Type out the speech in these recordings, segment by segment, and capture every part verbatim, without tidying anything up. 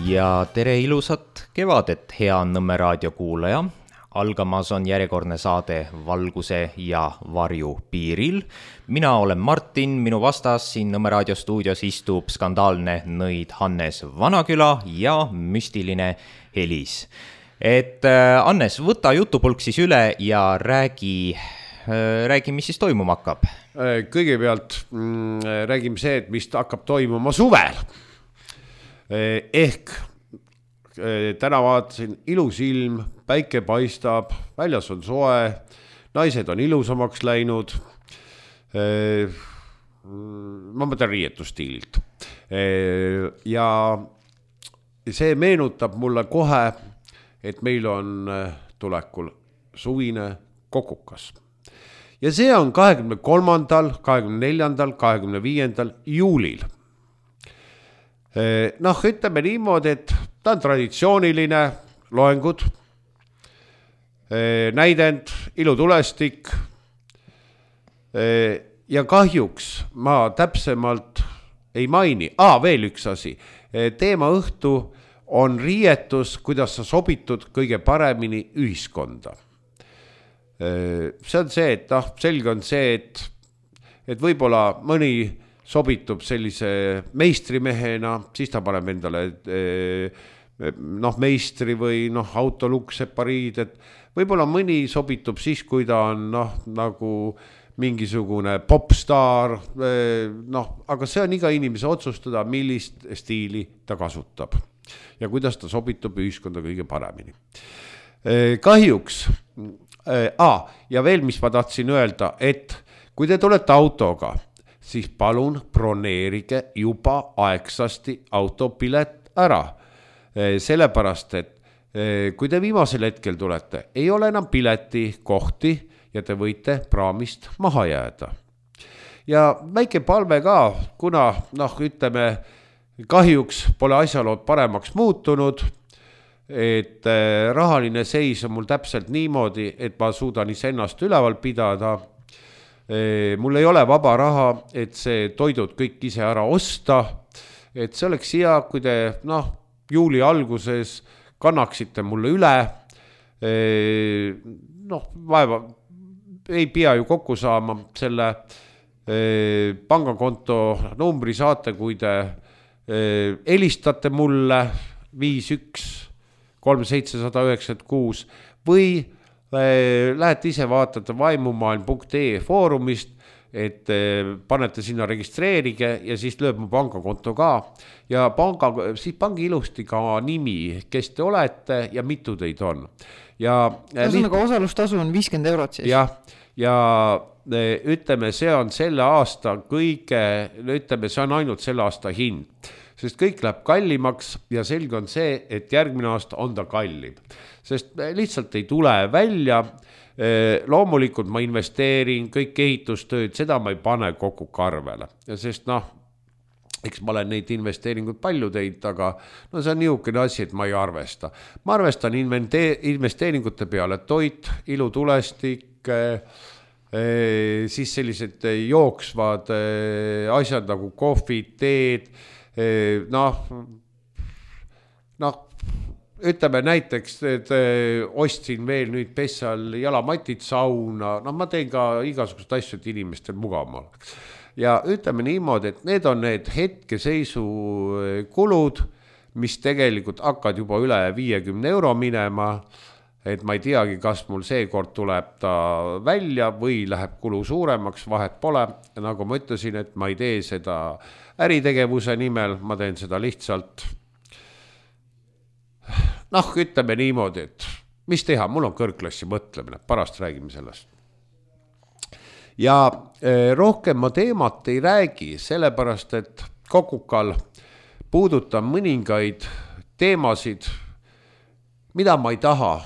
Ja tere ilusat kevadet, hea Nõmme raadio kuulaja. Algamas on järjekordne saade Valguse ja varju piiril. Mina olen Martin, minu vastas siin Nõmme raadio stuudios istub skandaalne nõid Hannes Vanaküla ja müstiline Helis. Et Hannes, võta jutupulk siis üle ja räägi, räägi, mis siis toimuma hakkab. Kõigepealt mm, räägime see, et mis hakkab toimuma suvel. Ehk täna vaatasin ilus ilm, päike paistab, väljas on soe, naised on ilusamaks läinud. Ma mõtlen riietustiililt. Ja see meenutab mulle kohe, et meil on tulekul suvine kokukas. Ja see on kahekümne kolmandal, kahekümne neljandal, kahekümne viiendal juulil. Noh, ütleme niimoodi, et ta on traditsiooniline loengud, näidend, ilutulestik ja kahjuks ma täpsemalt ei maini. Aa, veel üks asi. Teema õhtu on riietus, kuidas sa sobitud kõige paremini ühiskonda. See on see, et noh, selge on see, et, et võib-olla mõni sobitub sellise meistrimehena, siis ta paneb endale noh, meistri või noh, autoluksepariid, et võib-olla mõni sobitub siis, kui ta on noh, nagu mingisugune popstar, noh, aga see on iga inimese otsustada, millist stiili ta kasutab ja kuidas ta sobitub ühiskonda kõige paremini. Kahjuks, ah, ja veel mis ma tahtsin öelda, et kui te tulete autoga, siis palun broneerige juba aegsasti autopilet ära. Sellepärast, et kui te viimasel hetkel tulete, ei ole enam pileti kohti ja te võite praamist maha jääda. Ja väike palve ka, kuna noh, ütleme, kahjuks pole asjalood paremaks muutunud, et rahaline seis on mul täpselt niimoodi, et ma suudan iseennast üleval pidada. Mul ei ole vaba raha, et see toidud kõik ise ära osta, et see oleks hea, kui te noh, juuli alguses kannaksite mulle üle, noh, vaeva ei pea ju kokku saama selle pangakonto numbri saate, kui te helistate mulle viis üks kolm seitse null üheksa kuus või lähete ise vaatate vaimumaailm punkt ee foorumist, et panete sinna registreerige ja siis lööb mu pangakonto ka. Ja panga, siis pangi ilusti ka nimi, kes te olete ja mitu teid on. Ja liht... osalustasu on viiskümmend eurot siis. Ja, ja ütleme, see on selle aasta kõige, ütleme, see on ainult selle aasta hind. Sest kõik läheb kallimaks ja selge on see, et järgmine aasta on ta kallim. Sest lihtsalt ei tule välja, loomulikult ma investeerin kõik ehitustööd, seda ma ei pane kokku karvele. Sest noh, eks ma olen neid investeeringuid palju teinud, aga no see on niisugune asi, et ma ei arvesta. Ma arvestan investeeringute peale toit, ilutulestik, siis sellised jooksvad asjad nagu kohvid, teed, noh, noh, ütleme näiteks, et ostsin veel nüüd Pessal jalamatid sauna, noh, ma teen ka igasugust asju, et inimestel mugavam oleks. Ja ütleme niimoodi, et need on need hetkeseisu kulud, mis tegelikult hakkad juba üle viiekümne euro minema, et ma ei teagi, kas mul seekord tuleb ta välja või läheb kulu suuremaks, vahet pole. Nagu ma ütlesin, et ma ei tee seda äritegevuse nimel, ma teen seda lihtsalt. Noh, ütleme niimoodi, et mis teha, mul on kõrgklassi mõtlemine, pärast räägime sellest. Ja rohkem ma teemat ei räägi, sellepärast, et kokukal puudutan mõningaid teemasid, mida ma ei taha,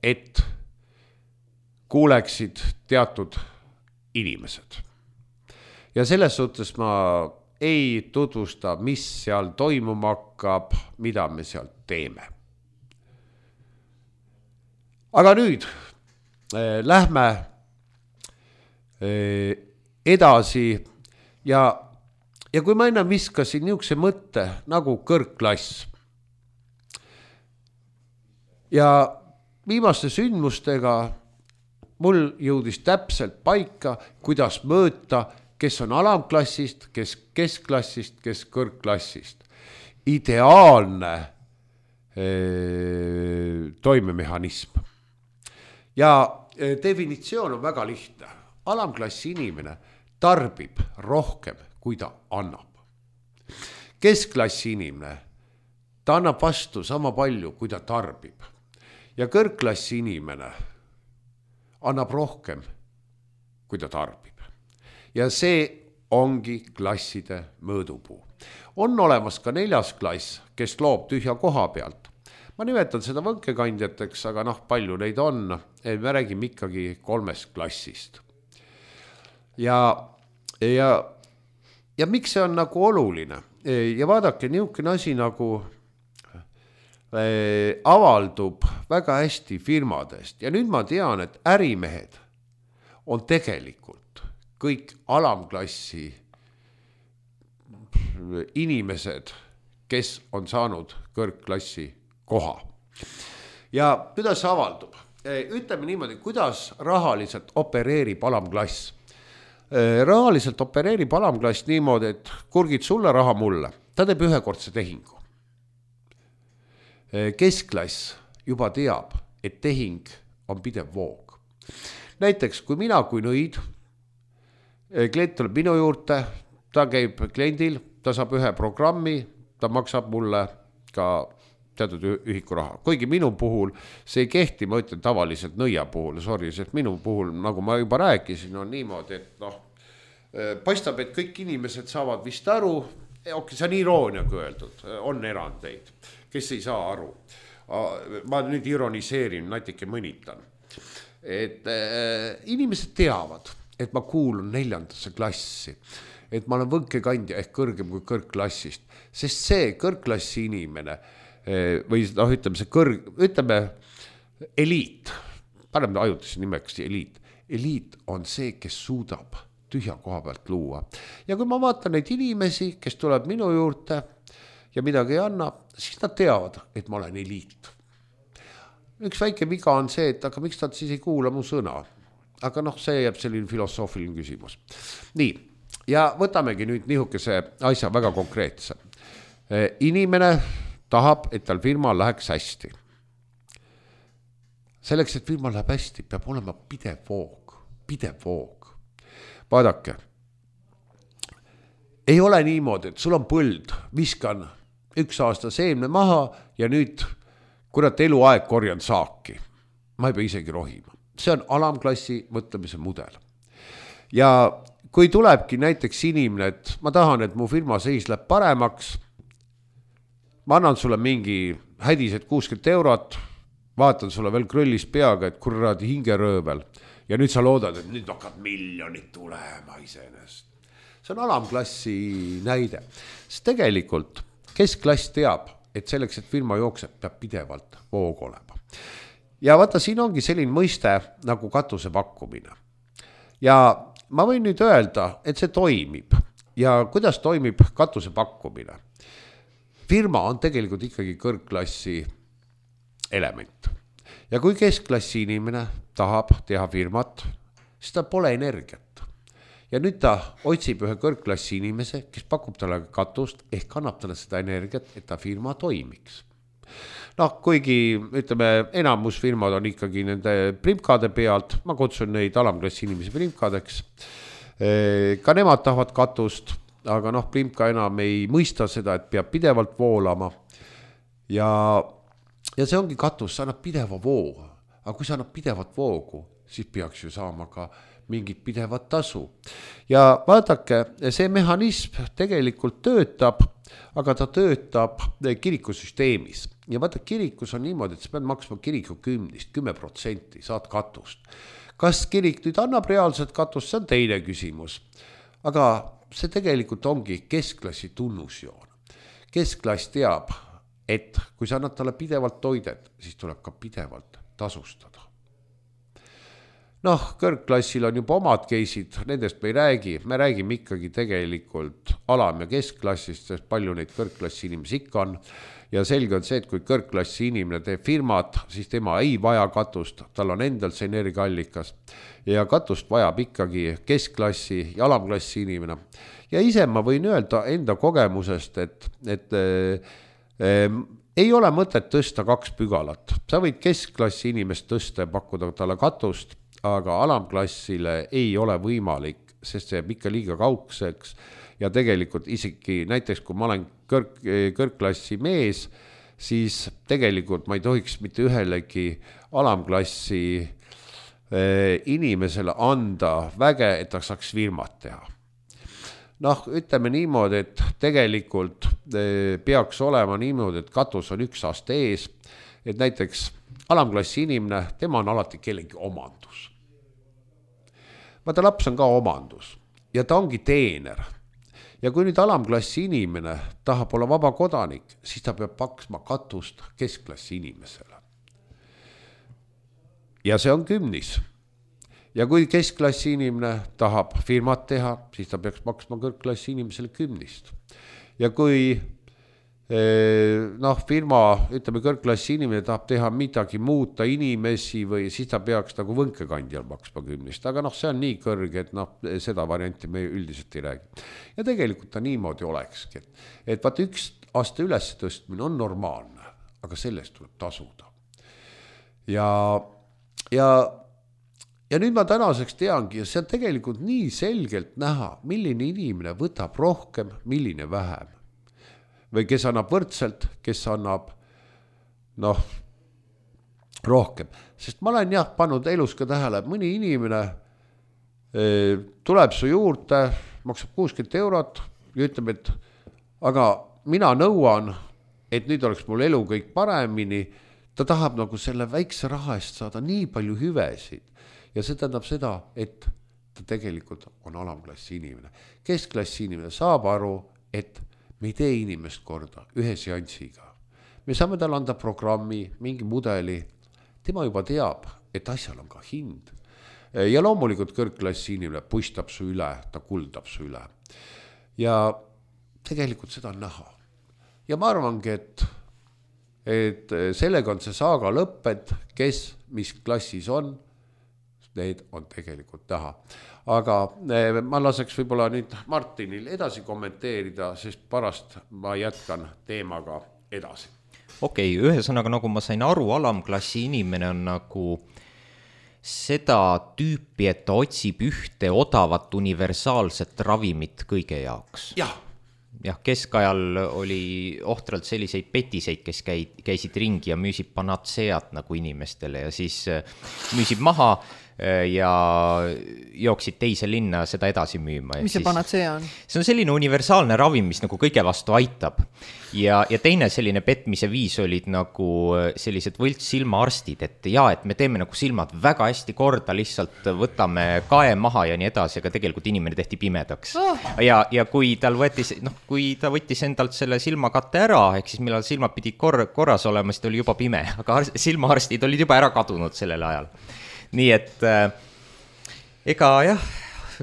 et kuuleksid teatud inimesed. Ja selles suhtes ma ei tutvusta, mis seal toimuma hakkab, mida me seal teeme. Aga nüüd äh, lähme äh, edasi ja, ja kui ma ennem viskasin niisuguse mõtte nagu kõrgklass, ja viimaste sündmustega mul jõudis täpselt paika, kuidas mõõta, kes on alamklassist, kes keskklassist, kes kõrgklassist. Ideaalne ee, toimemehhanism. Ja e, definitsioon on väga lihtne. Alamklassi inimene tarbib rohkem, kui ta annab. Keskklassi inimene, ta annab vastu sama palju, kui ta tarbib. Ja kõrgklassi inimene annab rohkem, kui ta tarbib. Ja see ongi klasside mõõdupuu. On olemas ka neljas klass, kes loob tühja koha pealt. Ma nimetan seda võnkekandjateks, aga noh, palju neid on. Me räägime ikkagi kolmest klassist. Ja, ja, ja miks see on nagu oluline? Ja vaadake, niisugune asi nagu äh, avaldub väga hästi firmadest. Ja nüüd ma tean, et ärimehed on tegelikult kõik alamklassi inimesed, kes on saanud kõrgklassi koha. Ja kuidas see avaldub? Ütleme niimoodi, kuidas rahaliselt opereerib alamklass. Rahaliselt opereerib alamklass niimoodi, et kurgid sulle, raha mulle. Ta teeb ühekordse tehingu. Keskklass juba teab, et tehing on pidev voog. Näiteks, kui mina kui nõid, klient tuleb minu juurde, ta käib kliendil, ta saab ühe programmi, ta maksab mulle ka teatud ühiku raha. Kuigi minu puhul see ei kehti, ma ütlen tavaliselt nõia puhul, sorry, sest minu puhul, nagu ma juba rääkisin, on niimoodi, et noh, paistab, et kõik inimesed saavad vist aru, okei, see on irooniaga öeldud, on erandeid, kes ei saa aru. Ma nüüd ironiseerin, natuke mõnitan. Et äh, inimesed teavad, et ma kuulun neljandasse klassi, et ma olen võnkekandja ehk kõrgem kui kõrgklassist, sest see kõrgklassi inimene või noh, ütleme see kõrg, ütleme eliit, paneme ajutise nimeks eliit, eliit on see, kes suudab tühja koha pealt luua. Ja kui ma vaatan neid inimesi, kes tuleb minu juurde ja midagi ei anna, siis nad teavad, et ma olen eliit. Üks väike viga on see, et aga miks nad siis ei kuula mu sõna? Aga noh, see jääb selline filosoofiline küsimus. Nii, ja võtamegi nüüd nihukese asja väga konkreetse. Inimene tahab, et tal firma läheks hästi. Selleks, et firma läheb hästi, peab olema pidev voog. Pidev voog. Vaadake, ei ole niimoodi, et sul on põld, viskan üks aasta seemne maha ja nüüd kurat eluaeg korjan saaki. Ma ei pea isegi rohima. See on alamklassi mõtlemise mudel. Ja kui tulebki näiteks inimene, et ma tahan, et mu firma seis läheb paremaks, ma annan sulle mingi hädised kuuskümmend eurot, vaatan sulle veel krõllis peaga, et kuradi hingeröövel. Ja nüüd sa loodad, et nüüd hakkab miljonid tulema iseenest. See on alamklassi näide. Sest tegelikult keskklass teab, et selleks, et firma jookseb, peab pidevalt voog olema. Ja vaata, siin ongi selline mõiste nagu katuse pakkumine. Ja ma võin nüüd öelda, et see toimib. Ja kuidas toimib katuse pakkumine? Firma on tegelikult ikkagi kõrgklassi element. Ja kui keskklassi inimene tahab teha firmat, siis ta pole energiat. Ja nüüd ta otsib ühe kõrgklassi inimese, kes pakub talle katust ehk annab talle seda energiat, et ta firma toimiks. Noh, kuigi ütleme, enamus firmad on ikkagi nende primkade pealt, ma kutsun neid alamklassi inimesi primkadeks. Ka nemad tahavad katust, aga noh, primka enam ei mõista seda, et peab pidevalt voolama. Ja, ja see ongi katus, see annab pideva voo. Aga kui see annab pidevat voogu, siis peaks ju saama ka mingit pidevat tasu. Ja vaadake, see mehhanism tegelikult töötab, aga ta töötab kirikusüsteemis. Ja vaata, kirikus on niimoodi, et sa pead maksma kiriku kümnist, kümme protsenti saad katust. Kas kirik nüüd annab reaalset katust, see on teine küsimus. Aga see tegelikult ongi keskklassi tunnusjoon. Keskklass teab, et kui sa annad talle pidevalt toidet, siis tuleb ka pidevalt tasustada. Noh, kõrgklassil on juba omad keisid, nendest me ei räägi, me räägime ikkagi tegelikult alam- ja keskklassist, sest palju neid kõrgklassi inimesi ikka on. ja selge on see, et kui kõrgklassi inimene teeb firmat, siis tema ei vaja katust, tal on endal see energiaallikas ja katust vajab ikkagi keskklassi ja alamklassi inimene. Ja ise ma võin öelda enda kogemusest, et, et äh, ei ole mõtet tõsta kaks pügalat. Sa võid keskklassi inimest tõsta ja pakkuda talle katust, aga alamklassile ei ole võimalik, sest see jääb ikka liiga kaugseks ja tegelikult isegi näiteks kui ma olen kõrg, kõrgklassi mees, siis tegelikult ma ei tohiks mitte ühelegi alamklassi eh, inimesele anda väge, et ta saaks firmat teha. Noh, ütleme niimoodi, et tegelikult eh, peaks olema niimoodi, et katus on üks aasta ees, et näiteks alamklassi inimene, tema on alati kellegi omandus. Vaata, laps on ka omandus ja ta ongi teener. Ja kui nüüd alamklassi inimene tahab olla vaba kodanik, siis ta peab paksma katust keskklassi inimesele. Ja see on kümnis. Ja kui keskklassi inimene tahab firmat teha, siis ta peaks maksma kõrgklassi inimesele kümnist. Ja kui noh, firma, ütleme kõrgklassi inimene tahab teha midagi muuta inimesi või siis ta peaks nagu võnkekandjal maksma kümnist, aga noh, see on nii kõrge, et noh, seda varianti me üldiselt ei räägi. Ja tegelikult ta niimoodi olekski, et, et vaat üks aasta üles tõstmine on normaalne, aga sellest tuleb tasuda. Ja, ja, ja nüüd ma tänaseks teangi, ja see on tegelikult nii selgelt näha, milline inimene võtab rohkem, milline vähem. Või kes annab võrdselt, kes annab noh, rohkem. Sest ma olen jah pannud elus ka tähele, et mõni inimene e, tuleb su juurde, maksab kuuskümmend eurot ja ütleb, et aga mina nõuan, et nüüd oleks mul elu kõik paremini. Ta tahab nagu selle väikse raha eest saada nii palju hüvesid. Ja see tähendab seda, et ta tegelikult on alamklassi inimene. Keskklassi inimene saab aru, et me ei tee inimest korda ühe seansiga. Me saame tal anda programmi, mingi mudeli. Tema juba teab, et asjal on ka hind. Ja loomulikult kõrgklassi inimene puistab su üle, ta kuldab su üle. Ja tegelikult seda on näha. Ja ma arvangi, et, et sellega on see saaga lõpped, kes mis klassis on, need on tegelikult näha. Aga ma laseks võib-olla nüüd Martinil edasi kommenteerida, sest pärast ma jätkan teemaga edasi. Okei, okay, ühesõnaga nagu ma sain aru, alamklassi inimene on nagu seda tüüpi, et ta otsib ühte odavat universaalset ravimit kõige jaoks. Jah. Jah, keskajal oli ohtralt selliseid petiseid, kes käid, käisid ringi ja müüsid panatseat nagu inimestele ja siis müüsid maha ja jooksid teise linna seda edasi müüma. Mis see panatsea on? See on selline universaalne ravim, mis nagu kõige vastu aitab. Ja, ja teine selline petmise viis olid nagu sellised võlts silmaarstid, et jaa, et me teeme nagu silmad väga hästi korda, lihtsalt võtame kae maha ja nii edasi, aga tegelikult inimene tehti pimedaks. Oh. Ja, ja kui tal võttis, noh, kui ta võttis endalt selle silmakatte ära, ehk siis millal silmad pidi kor- korras olema, siis ta oli juba pime, aga silmaarstid olid juba ära kadunud sellel ajal. Nii et äh, ega jah,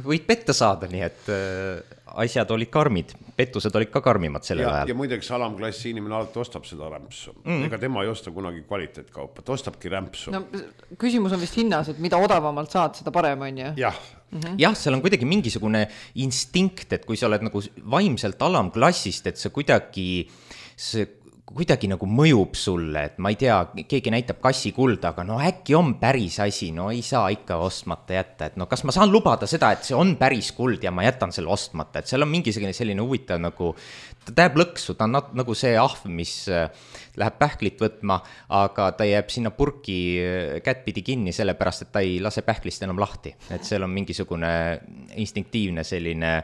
võid petta saada, nii et äh, asjad olid karmid, pettused olid ka karmimad sellel ja, ajal. Ja muideks alamklassi inimene alati ostab seda rämpsu. Mm. Ega tema ei osta kunagi kvaliteetkaupa, ta ostabki rämpsu. No, küsimus on vist hinnas, et mida odavamalt saad, seda parem on ju. Jah. Mm-hmm. Jah, seal on kuidagi mingisugune instinkt, et kui sa oled nagu vaimselt alamklassist, et see kuidagi see kuidagi nagu mõjub sulle, et ma ei tea, keegi näitab kassi kulda, aga no äkki on päris asi, no ei saa ikka ostmata jätta, et no kas ma saan lubada seda, et see on päris kuld ja ma jätan selle ostmata, et seal on mingisugune selline huvitav nagu, ta täheb lõksu, ta on nagu see ahv, mis läheb pähklit võtma, aga ta jääb sinna purki kättpidi kinni sellepärast, et ta ei lase pähklist enam lahti, et seal on mingisugune instinktiivne selline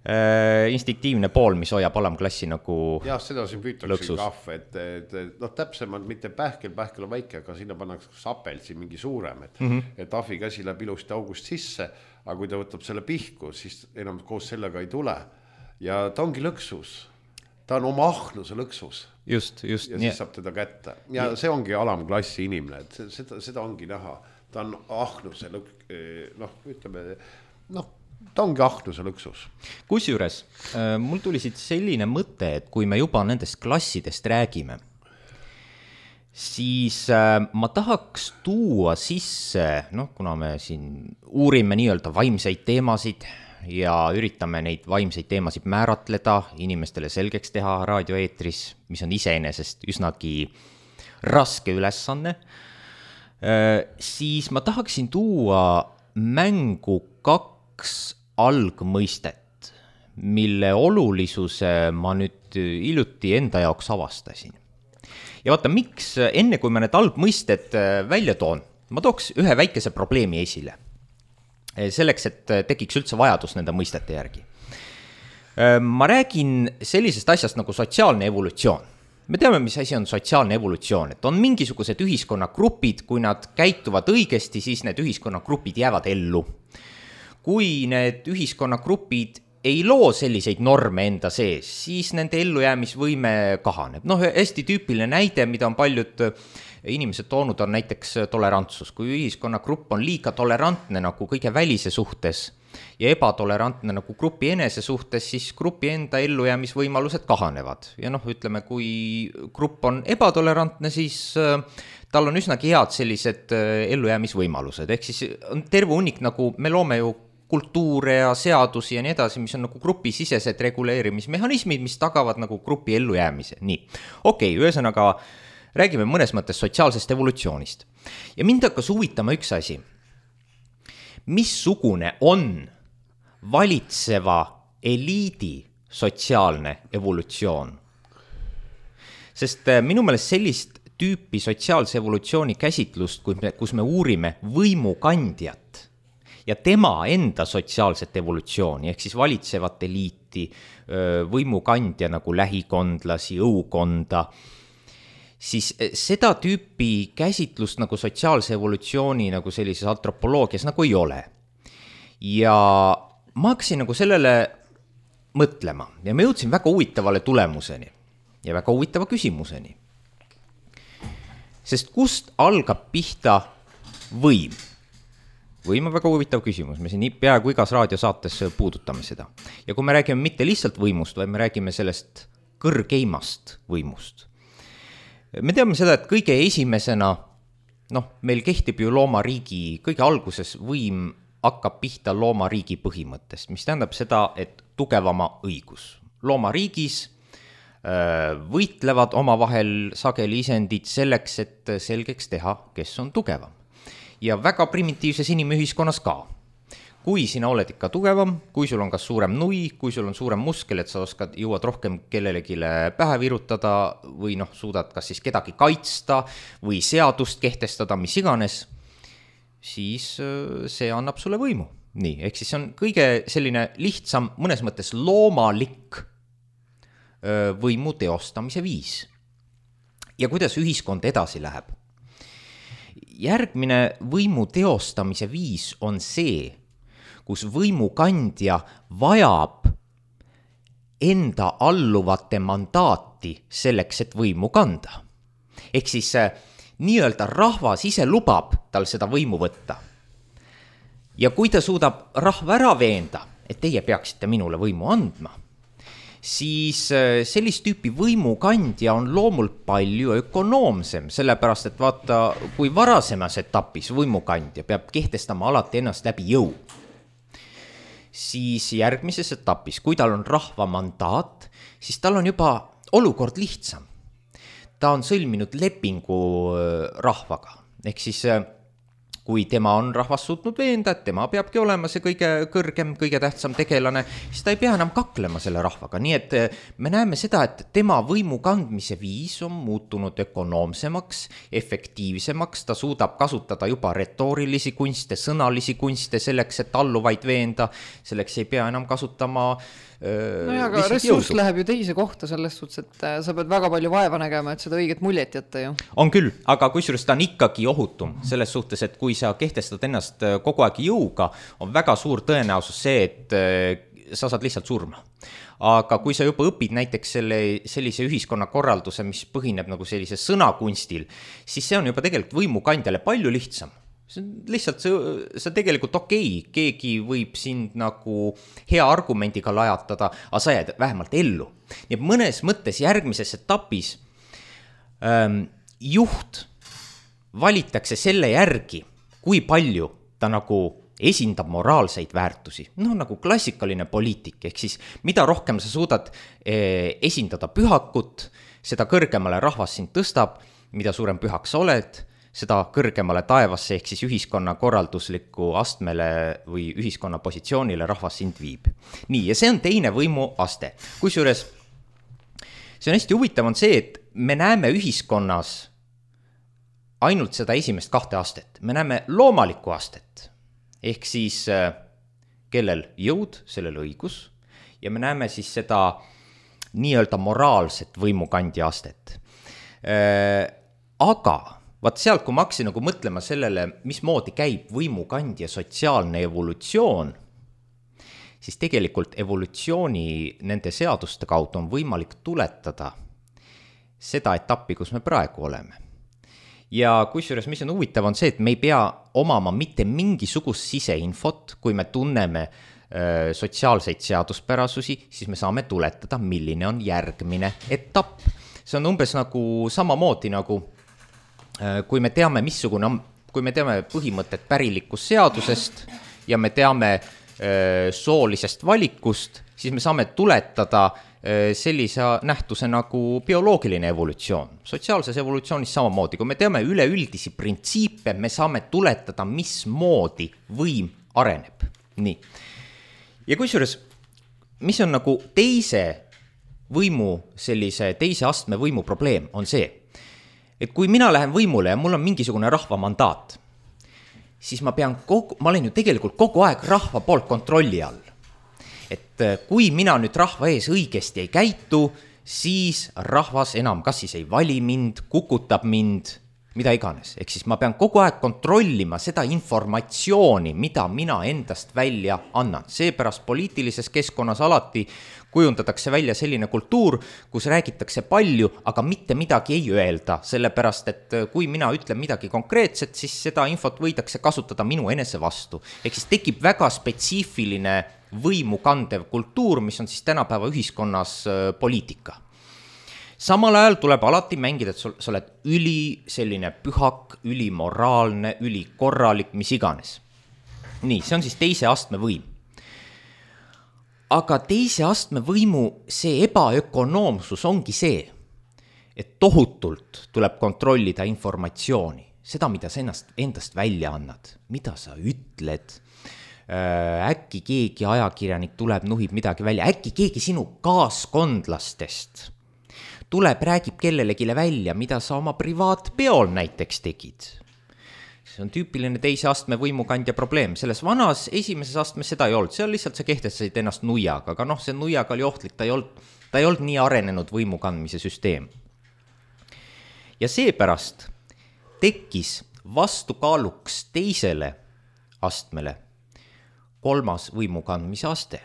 Äh, instinktiivne pool, mis hoiab alamklassi nagu jah, seda siin püütakse kahv, et, et, et noh, täpsemalt mitte pähkel, pähkel on väike, aga sinna pannakse sapelsi mingi suurem, et, mm-hmm. et ahvi käsi läheb ilusti august sisse, aga kui ta võtab selle pihku, siis enam koos sellega ei tule ja ta ongi lõksus, ta on oma ahnuse lõksus just, just, ja siis saab teda kätte ja see ongi alamklassi inimene, et seda, seda ongi näha, ta on ahnuse lõk, noh, ütleme, noh ta ongi ahnuse lõksus. Kusjuures mul tuli siit selline mõte, et kui me juba nendest klassidest räägime, siis ma tahaks tuua sisse, noh, kuna me siin uurime nii-öelda vaimseid teemasid ja üritame neid vaimseid teemasid määratleda, inimestele selgeks teha raadioeetris, mis on iseenesest üsnagi raske ülesanne, siis ma tahaksin tuua mängu kaks algmõistet, mille olulisuse ma nüüd hiljuti enda jaoks avastasin. Ja vaata, miks enne kui ma need algmõisted välja toon, ma tooks ühe väikese probleemi esile. Selleks, et tekiks üldse vajadus nende mõistete järgi. Ma räägin sellisest asjast nagu sotsiaalne evolutsioon. Me teame, mis asi on sotsiaalne evolutsioon, et on mingisugused ühiskonnagrupid, kui nad käituvad õigesti, siis need ühiskonnagrupid jäävad ellu. Kui need ühiskonnagrupid ei loo selliseid norme enda sees, siis nende ellujäämisvõime kahaneb. Noh, hästi tüüpiline näide, mida on paljud inimesed toonud, on näiteks tolerantsus. Kui ühiskonnagrupp on liiga tolerantne nagu kõige välise suhtes ja ebatolerantne nagu grupi enese suhtes, siis grupi enda ellujäämisvõimalused kahanevad. Ja noh, ütleme, kui grupp on ebatolerantne, siis tal on üsnagi head sellised ellujäämisvõimalused. Ehk siis on terve hunnik, nagu me loome ju kultuure ja seadusi ja nii edasi, mis on nagu grupisisesed reguleerimismehhanismid, mis tagavad nagu grupi ellujäämise. Nii, okei, ühesõnaga räägime mõnes mõttes sotsiaalsest evolutsioonist. Ja mind hakkas huvitama üks asi. Missugune on valitseva eliidi sotsiaalne evolutsioon? Sest minu meelest sellist tüüpi sotsiaalse evolutsiooni käsitlust, kus me uurime võimukandjat ja tema enda sotsiaalset evolutsiooni, ehk siis valitsevat eliiti, võimukandja nagu lähikondlasi, õukonda, siis seda tüüpi käsitlust nagu sotsiaalse evolutsiooni nagu sellises antropoloogias nagu ei ole. Ja ma hakkasin nagu sellele mõtlema ja ma jõudsin väga huvitavale tulemuseni ja väga huvitava küsimuseni. Sest kust algab pihta võim? Võim on väga huvitav küsimus, me siin peaaegu igas raadiosaates puudutame seda. Ja kui me räägime mitte lihtsalt võimust, vaid me räägime sellest kõrgeimast võimust. Me teame seda, et kõige esimesena, noh, meil kehtib ju loomariigi, kõige alguses võim hakkab pihta loomariigi põhimõttest, mis tähendab seda, et tugevama õigus. Loomariigis võitlevad omavahel sageli isendid selleks, et selgeks teha, kes on tugevam. Ja väga primitiivses inimühiskonnas ka. Kui sina oled ikka tugevam, kui sul on kas suurem nui, kui sul on suurem muskel, et sa oskad, jõuad rohkem kellelegile pähe virutada või noh, suudad kas siis kedagi kaitsta või seadust kehtestada, mis iganes, siis see annab sulle võimu. Nii, ehk siis on kõige selline lihtsam, mõnes mõttes loomalik võimu teostamise viis. Ja kuidas ühiskond edasi läheb? Järgmine võimu teostamise viis on see, kus võimukandja vajab enda alluvate mandaati selleks, et võimu kanda. Ehk siis nii-öelda rahvas ise lubab tal seda võimu võtta. Ja kui ta suudab rahva ära veenda, et teie peaksite minule võimu andma, siis sellist tüüpi võimukandja on loomult palju ökonoomsem, sellepärast et vaata, kui varasemas etapis võimukandja peab kehtestama alati ennast läbi jõu, siis järgmises etapis, kui tal on rahva mandaat, siis tal on juba olukord lihtsam. Ta on sõlminud lepingu rahvaga, ehk siis kui tema on rahvas suutnud veenda, et tema peabki olema see kõige kõrgem, kõige tähtsam tegelane, siis ta ei pea enam kaklema selle rahvaga. Nii et me näeme seda, et tema võimu kandmise viis on muutunud ökonoomsemaks, efektiivsemaks, ta suudab kasutada juba retoorilisi kunste, sõnalisi kunste selleks, et alluvaid veenda, selleks ei pea enam kasutama no ja, aga ressurss jõudu. Läheb ju teise kohta selles suhtes, et sa pead väga palju vaeva nägema, et seda õiget muljet jätta ju. On küll, aga kusjuures ta on ikkagi ohutum selles suhtes, et kui sa kehtestad ennast kogu aeg jõuga, on väga suur tõenäosus see, et sa saad lihtsalt surma. Aga kui sa juba õpid näiteks selle, sellise ühiskonnakorralduse, mis põhineb nagu sellise sõnakunstil, siis see on juba tegelikult võimukandjale palju lihtsam. see on lihtsalt, see, see tegelikult okei, keegi võib sind nagu hea argumendiga lajatada, aga sa jääd vähemalt ellu. Nii et mõnes mõttes järgmises etapis ähm, juht valitakse selle järgi, kui palju ta nagu esindab moraalseid väärtusi. No nagu klassikaline poliitik, ehk siis mida rohkem sa suudad eh, esindada pühakut, seda kõrgemale rahvas sind tõstab, mida suurem pühak sa oled, seda kõrgemale taevasse ehk siis ühiskonna korraldusliku astmele või ühiskonna positsioonile rahvas sind viib. Nii, ja see on teine võimu aste. Kusjuures see on hästi huvitav on see, et me näeme ühiskonnas ainult seda esimest kahte astet. Me näeme loomalikku astet, ehk siis kellel jõud, sellel õigus, ja me näeme siis seda nii-öelda moraalset võimukandja astet. Aga vaat sealt, kui ma hakkasin nagu mõtlema sellele, mismoodi käib võimukandja sotsiaalne evolutsioon, siis tegelikult evolutsiooni nende seaduste kaudu on võimalik tuletada seda etappi, kus me praegu oleme. Ja kusjuures, mis on huvitav, on see, et me ei pea omama mitte mingisugust siseinfot, kui me tunneme öö, sotsiaalseid seaduspärasusi, siis me saame tuletada, milline on järgmine etapp. See on umbes nagu samamoodi nagu, öö, kui me teame, missugune on, kui me teame põhimõtet pärilikust seadusest ja me teame öö, soolisest valikust, siis me saame tuletada sellise nähtuse nagu bioloogiline evolutsioon. Sotsiaalses evolutsioonis samamoodi, kui me teame üleüldisi printsiipe, me saame tuletada, mismoodi võim areneb. Nii. Ja kusjuures, mis on nagu teise võimu, sellise teise astme võimu probleem, on see, et kui mina lähen võimule ja mul on mingisugune rahva mandaat, siis ma pean kogu, ma olen ju tegelikult kogu aeg rahva poolt kontrolli all. Et kui mina nüüd rahva ees õigesti ei käitu, siis rahvas enam kas siis ei vali mind, kukutab mind, mida iganes. Ehk siis ma pean kogu aeg kontrollima seda informatsiooni, mida mina endast välja annan. Seepärast poliitilises keskkonnas alati kujundatakse välja selline kultuur, kus räägitakse palju, aga mitte midagi ei öelda. Sellepärast, et kui mina ütlen midagi konkreetset, siis seda infot võidakse kasutada minu enese vastu. Ehk siis tekib väga spetsiifiline võimu kandev kultuur, mis on siis tänapäeva ühiskonnas poliitika. Samal ajal tuleb alati mängida, et sa oled üli selline pühak, üli moraalne, üli korralik, mis iganes. Nii, see on siis teise astme võim. Aga teise astme võimu see ebaökonoomsus ongi see, et tohutult tuleb kontrollida informatsiooni, seda, mida sa ennast, endast välja annad, mida sa ütled. Äkki keegi ajakirjanik tuleb, nuhib midagi välja, äkki keegi sinu kaaskondlastest tuleb, räägib kellelegile välja, mida sa oma privaatpeol näiteks tegid. See on tüüpiline teise astme võimukandja probleem. Selles vanas esimeses astmes seda ei olnud, seal lihtsalt sa kehtestasid ennast nuiaga, aga noh, see nuiaga oli ohtlik, ta ei olnud, ta ei olnud nii arenenud võimukandmise süsteem. Ja seepärast tekkis vastukaaluks teisele astmele kolmas võimu kandmise aste.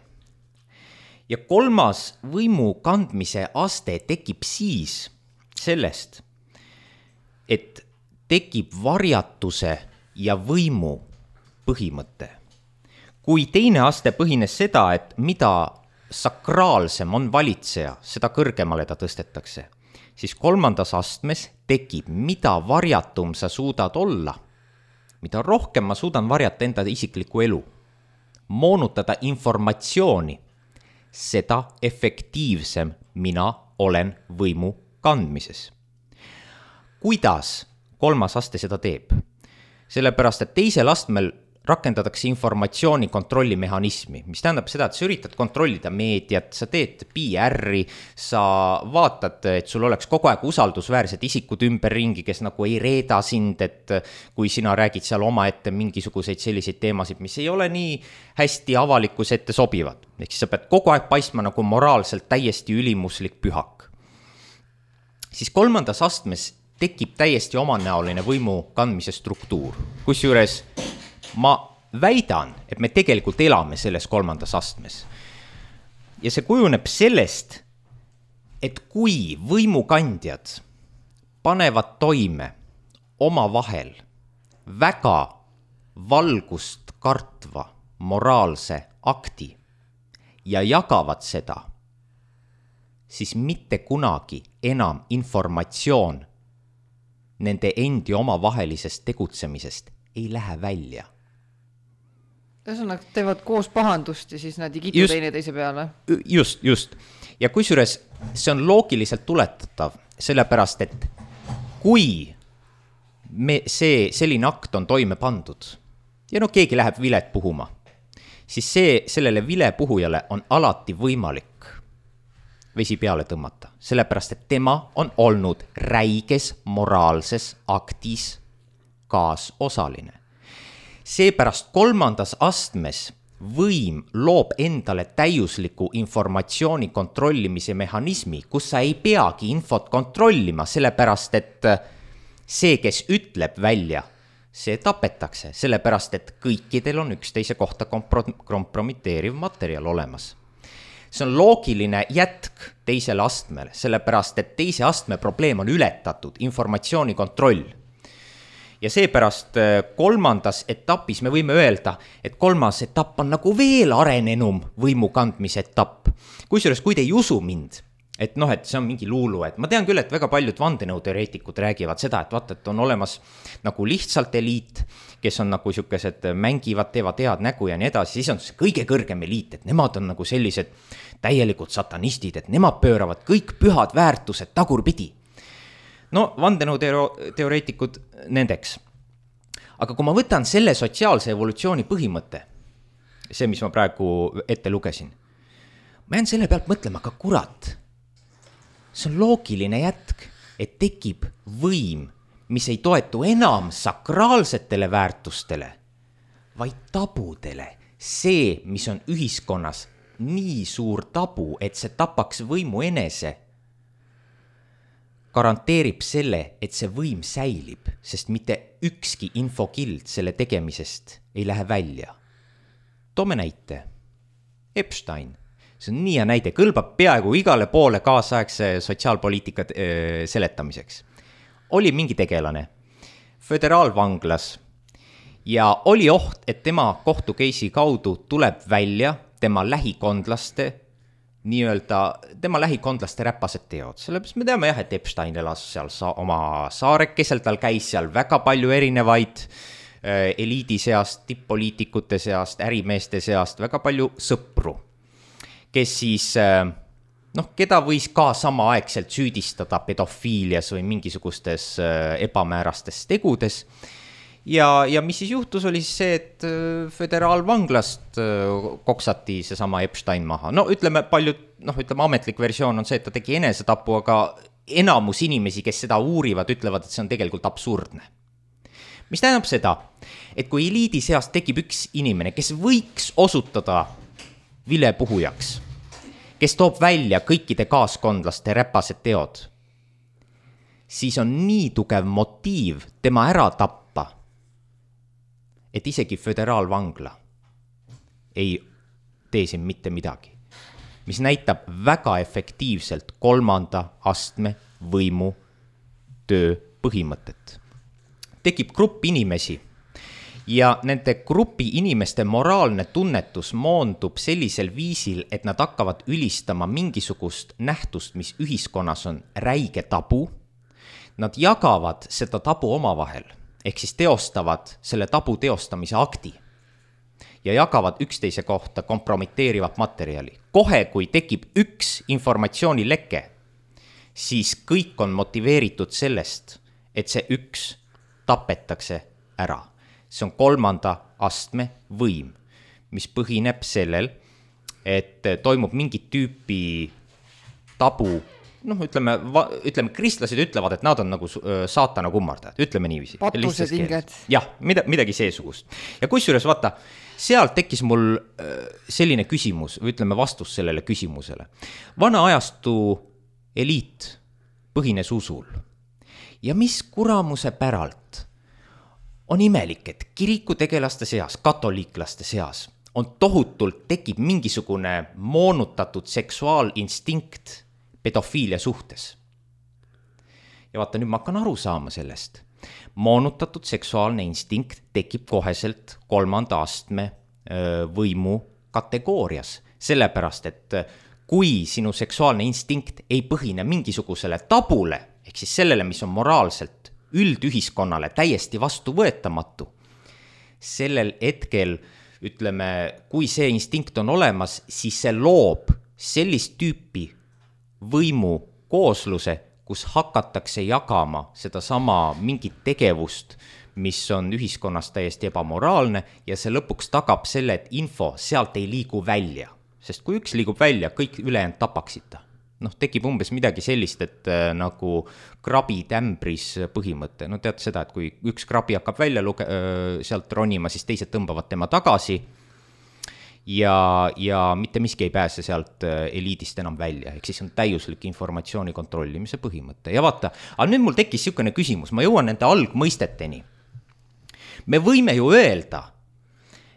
Ja kolmas võimu kandmise aste tekib siis sellest, et tekib varjatuse ja võimu põhimõte. Kui teine aste põhines seda, et mida sakraalsem on valitseja, seda kõrgemale ta tõstetakse, siis kolmandas astmes tekib, mida varjatum sa suudad olla, mida rohkem ma suudan varjata enda isiklikku elu, moonutada informatsiooni, seda efektiivsem mina olen võimu kandmises. Kuidas kolmas aste seda teeb? Sellepärast, et teisel astmel rakendatakse informatsiooni kontrollimehhanismi, mis tähendab seda, et sa üritad kontrollida meediat, sa teed P R-i, sa vaatad, et sul oleks kogu aeg usaldusväärsed isikud ümberringi, kes nagu ei reeda sind, et kui sina räägid seal oma ette mingisuguseid selliseid teemasid, mis ei ole nii hästi avalikus ette sobivad. Ehk siis sa pead kogu aeg paistma nagu moraalselt täiesti ülimuslik pühak. Siis kolmandas astmes tekib täiesti omanäoline võimu kandmise struktuur, kusjuures ma väidan, et me tegelikult elame selles kolmandas astmes. Ja see kujuneb sellest, et kui võimukandjad panevad toime oma vahel väga valgust kartva moraalse akti ja jagavad seda, siis mitte kunagi enam informatsioon nende endi omavahelisest tegutsemisest ei lähe välja. Ühesõnaga teevad koos pahandust ja siis nad ei kitu teine teise peale. Just, just. Ja kusjuures see on loogiliselt tuletatav, sellepärast, et kui me, see selline akt on toime pandud ja no keegi läheb vilet puhuma, siis see, sellele vilepuhujale on alati võimalik vesi peale tõmmata, sellepärast, et tema on olnud räiges moraalses aktis kaasosaline. Seepärast kolmandas astmes võim loob endale täiusliku informatsiooni kontrollimise mehhanismi, kus sa ei peagi infot kontrollima, sellepärast, et see, kes ütleb välja, see tapetakse, sellepärast, et kõikidel on üksteise kohta kompro- kompromiteeriv materjal olemas. See on loogiline jätk teisele astmele, sellepärast, et teise astme probleem on ületatud, informatsiooni kontroll. Ja seepärast kolmandas etapis me võime öelda, et kolmas etapp on nagu veel arenenum võimu kandmise etapp. Kusjuures, kui te ei usu mind, et noh, et see on mingi luulu, et ma tean küll, et väga paljud vandenõuteoreetikud räägivad seda, et vaata, et on olemas nagu lihtsalt eliit, kes on nagu siukesed mängivad, teevad head nägu ja nii edasi, siis on see kõige kõrgem eliit, et nemad on nagu sellised täielikud satanistid, et nemad pööravad kõik pühad väärtused tagurpidi. No, vandenõuteoreetikud nendeks. Aga kui ma võtan selle sotsiaalse evolutsiooni põhimõtte, see, mis ma praegu ette lugesin, ma jään selle pealt mõtlema, ka kurat, see on loogiline jätk, et tekib võim, mis ei toetu enam sakraalsetele väärtustele, vaid tabudele. See, mis on ühiskonnas nii suur tabu, et see tapaks võimu enese, garanteerib selle, et see võim säilib, sest mitte ükski infokild selle tegemisest ei lähe välja. Toome näite. Epstein. See on nii ja näide, kõlbab peaaegu igale poole kaasaegse sotsiaalpoliitika seletamiseks. Oli mingi tegelane föderaalvanglas ja oli oht, et tema kohtukeisi kaudu tuleb välja tema lähikondlaste nii-öelda tema lähikondlaste räpased teod. Sellepärast me teame jah, et Epstein elas seal sa- oma saarekesel, tal käis seal väga palju erinevaid äh, eliidi seast, tipp-poliitikute seast, ärimeeste seast, väga palju sõpru, kes siis, äh, noh, keda võis ka samaaegselt süüdistada pedofiilias või mingisugustes äh, ebamäärastes tegudes. Ja, ja mis siis juhtus, oli see, et föderaalvanglast koksati see sama Epstein maha. No ütleme paljud, noh ütleme ametlik versioon on see, et ta tegi enesetapu, aga enamus inimesi, kes seda uurivad, ütlevad, et see on tegelikult absurdne. Mis tähendab seda, et kui eliidi seast tekib üks inimene, kes võiks osutada vilepuhujaks, kes toob välja kõikide kaaskondlaste räpased teod, siis on nii tugev motiiv tema ära tappa, et isegi föderaalvangla ei tee siin mitte midagi, mis näitab väga efektiivselt kolmanda astme võimu töö põhimõtet. Tekib grupp inimesi ja nende grupi inimeste moraalne tunnetus moondub sellisel viisil, et nad hakkavad ülistama mingisugust nähtust, mis ühiskonnas on räige tabu. Nad jagavad seda tabu omavahel. Ehk siis teostavad selle tabu teostamise akti ja jagavad üksteise kohta kompromiteerivat materjali. Kohe, kui tekib üks informatsioonileke, siis kõik on motiveeritud sellest, et see üks tapetakse ära. See on kolmanda astme võim, mis põhineb sellel, et toimub mingit tüüpi tabu. Noh, ütleme, ütleme, kristlased ütlevad, et nad on nagu saatana kummardajad, ütleme niiviisi. Patused inged. Jah, mida, midagi seesugust. Ja kusjuures, vaata, sealt tekkis mul selline küsimus, või ütleme vastus sellele küsimusele. Vana ajastu eliit põhines usul. Ja mis kuramuse päralt on imelik, et kirikutegelaste seas, katoliiklaste seas on tohutult tekib mingisugune moonutatud seksuaalinstinkt pedofiilia suhtes. ja vaata, nüüd ma hakkan aru saama sellest. Moonutatud seksuaalne instinkt tekib koheselt kolmanda astme võimu kategoorias, sellepärast, et kui sinu seksuaalne instinkt ei põhine mingisugusele tabule, ehk siis sellele, mis on moraalselt üldühiskonnale täiesti vastuvõetamatu, sellel hetkel, ütleme, kui see instinkt on olemas, siis see loob sellist tüüpi võimu koosluse, kus hakatakse jagama seda sama mingit tegevust, mis on ühiskonnas täiesti ebamoraalne ja see lõpuks tagab selle, et info sealt ei liigu välja. Sest kui üks liigub välja, kõik ülejäänud tapaksid ta. Noh, tekib umbes midagi sellist, et äh, nagu krabi tämbris põhimõte. No tead seda, et kui üks krabi hakkab välja luge- äh, sealt ronima, siis teised tõmbavad tema tagasi ja, ja mitte miski ei pääse sealt äh, eliidist enam välja. Ehk siis on täiuslik informatsiooni kontrollimise põhimõte. Ja vaata, aga nüüd mul tekkis niisugune küsimus, ma jõuan nende algmõisteteni. Me võime ju öelda,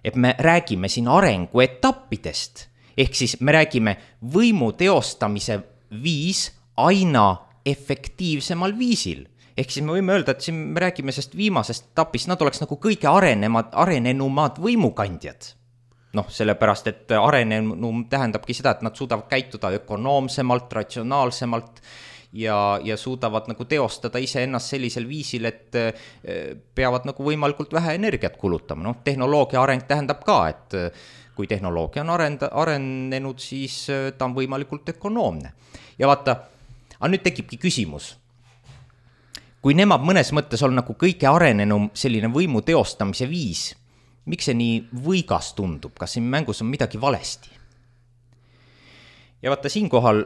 et me räägime siin arenguetappidest, ehk siis me räägime võimu teostamise viis aina efektiivsemal viisil. Ehk siis me võime öelda, et siin me räägime sest viimasest etapist, nad oleks nagu kõige arenemad, arenenumad võimukandjad. Noh, sellepärast, et arenenum tähendabki seda, et nad suudavad käituda ökonoomsemalt, ratsionaalsemalt ja, ja suudavad nagu teostada iseennast sellisel viisil, et peavad nagu võimalikult vähe energiat kulutama. Noh, tehnoloogia areng tähendab ka, et kui tehnoloogia on arenda, arenenud, siis ta on võimalikult ökonoomne. Ja vaata, aga nüüd tekibki küsimus. Kui nemad mõnes mõttes on nagu kõige arenenum selline võimu teostamise viis, miks see nii võigas tundub? Kas siin mängus on midagi valesti? Ja vaata, siinkohal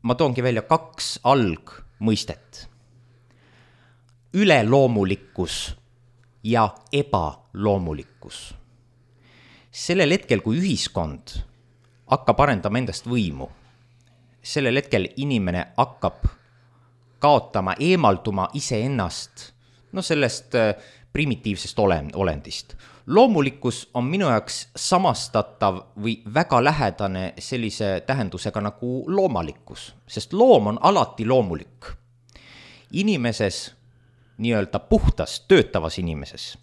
ma toongi välja kaks algmõistet. Üleloomulikkus ja ebaloomulikkus. Sellel hetkel, kui ühiskond hakkab arendama endast võimu, sellel hetkel inimene hakkab kaotama, eemalduma iseennast, no sellest primitiivsest olendist. Loomulikkus on minu jaoks samastatav või väga lähedane sellise tähendusega nagu loomalikkus, sest loom on alati loomulik. Inimeses, nii-öelda puhtas, töötavas inimeses,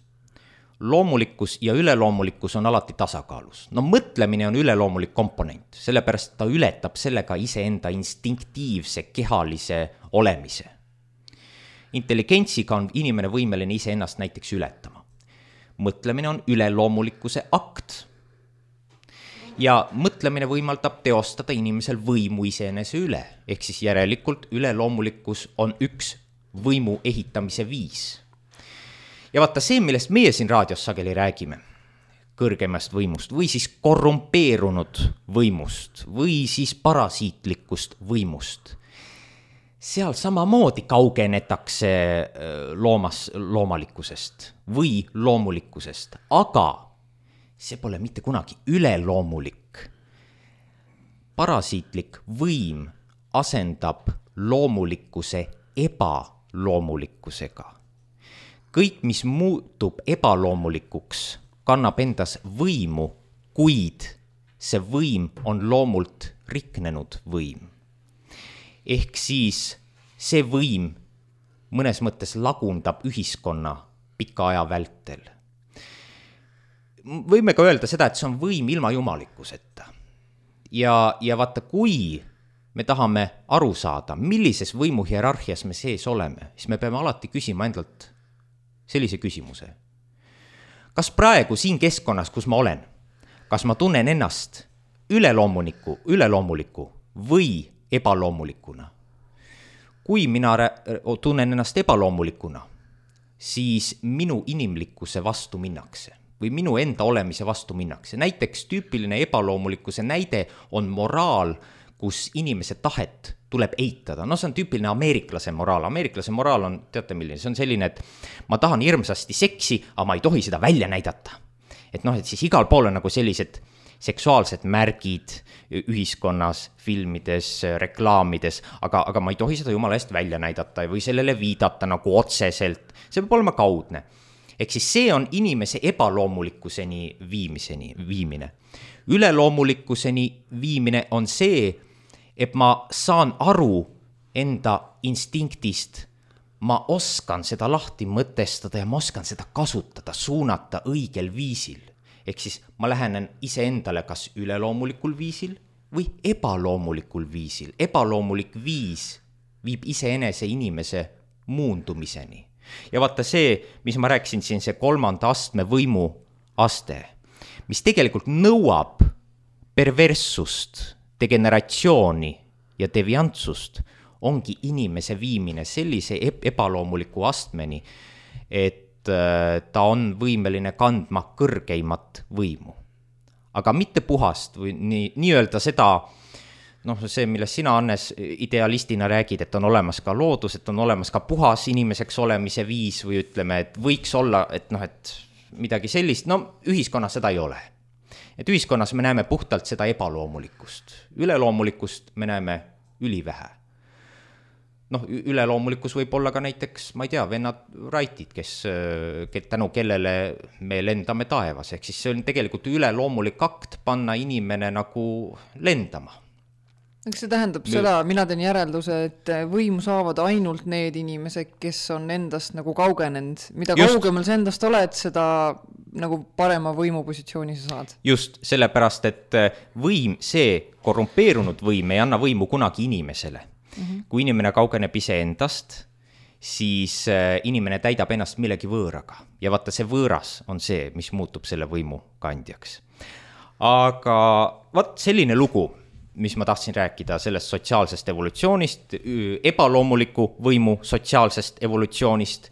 loomulikkus ja üleloomulikkus on alati tasakaalus. No mõtlemine on üleloomulik komponent, sellepärast ta ületab sellega iseenda instinktiivse kehalise olemise. Intelligentsiga on inimene võimeline iseennast näiteks ületama. Mõtlemine on üleloomulikkuse akt. Ja mõtlemine võimaldab teostada inimesel võimu iseenese üle, ehk siis järelikult üleloomulikkus on üks võimu ehitamise viis. Ja vaata see, millest meie siin raadios sageli räägime, kõrgemast võimust või siis korrumpeerunud võimust või siis parasiitlikust võimust, seal samamoodi kaugenetakse loomas, loomalikkusest või loomulikkusest, aga see pole mitte kunagi üleloomulik. Parasiitlik võim asendab loomulikkuse ebaloomulikkusega. Kõik, mis muutub ebaloomulikuks, kannab endas võimu, kuid see võim on loomult riknenud võim. Ehk siis see võim mõnes mõttes lagundab ühiskonna pika aja vältel. Võime ka öelda seda, et see on võim ilma jumalikkuseta. Ja, ja vaata, kui me tahame aru saada, millises võimu hierarhias me sees oleme, siis me peame alati küsima endalt sellise küsimuse. Kas praegu siin keskkonnas, kus ma olen, kas ma tunnen ennast üleloomuliku, üleloomuliku või ebaloomulikuna? Kui mina tunnen ennast ebaloomulikuna, siis minu inimlikkuse vastu minnakse või minu enda olemise vastu minnakse. Näiteks tüüpiline ebaloomulikkuse näide on moraal, kus inimese tahet tuleb eitada. No see on tüüpiline ameeriklase moraal. Ameeriklase moraal on, teate milline, see on selline, et ma tahan hirmsasti seksi, aga ma ei tohi seda välja näidata. Et noh, et siis igal pool on nagu sellised seksuaalsed märgid ühiskonnas, filmides, reklaamides, aga, aga ma ei tohi seda jumala eest välja näidata või sellele viidata nagu otseselt. See peab olema kaudne. Ehk siis see on inimese ebaloomulikkuseni viimiseni, viimine. Üleloomulikkuseni viimine on see, et ma saan aru enda instinktist ma oskan seda lahti mõtestada ja ma oskan seda kasutada, suunata õigel viisil. Ehk siis ma lähenen iseendale kas üleloomulikul viisil või ebaloomulikul viisil. Ebaloomulik viis viib iseenese inimese muundumiseni. Ja vaata see, mis ma rääkisin siin, see kolmanda astme võimu aste, mis tegelikult nõuab perverssust, degeneratsiooni ja deviantsust, ongi inimese viimine sellise ebaloomuliku astmeni, et ta on võimeline kandma kõrgeimat võimu. Aga mitte puhast või nii, nii öelda seda, noh, see, millest sina, Hannes, idealistina räägid, et on olemas ka loodus, et on olemas ka puhas inimeseks olemise viis või ütleme, et võiks olla, et noh, et midagi sellist, no ühiskonnas seda ei ole. Et ühiskonnas me näeme puhtalt seda ebaloomulikust. Üleloomulikust me näeme ülivähe. Noh, üleloomulikus võib olla ka näiteks, ma ei tea, vennad Raitid, kes, kes tänu kellele me lendame taevas. Ehk siis see on tegelikult üleloomulik akt panna inimene nagu lendama. Eks see tähendab Nüüd... seda, mina teen järelduse, et võimu saavad ainult need inimesed, kes on endast nagu kaugenenud. Mida Just. kaugemal sa endast oled, seda nagu parema võimupositsiooni sa saad. Just, sellepärast, et võim, see korrumpeerunud võim ei anna võimu kunagi inimesele. Mm-hmm. Kui inimene kaugeneb ise endast, siis inimene täidab ennast millegi võõraga. Ja vaata, see võõras on see, mis muutub selle võimu kandjaks. Aga vaat selline lugu, mis ma tahtsin rääkida sellest sotsiaalsest evolutsioonist, ebaloomuliku võimu sotsiaalsest evolutsioonist,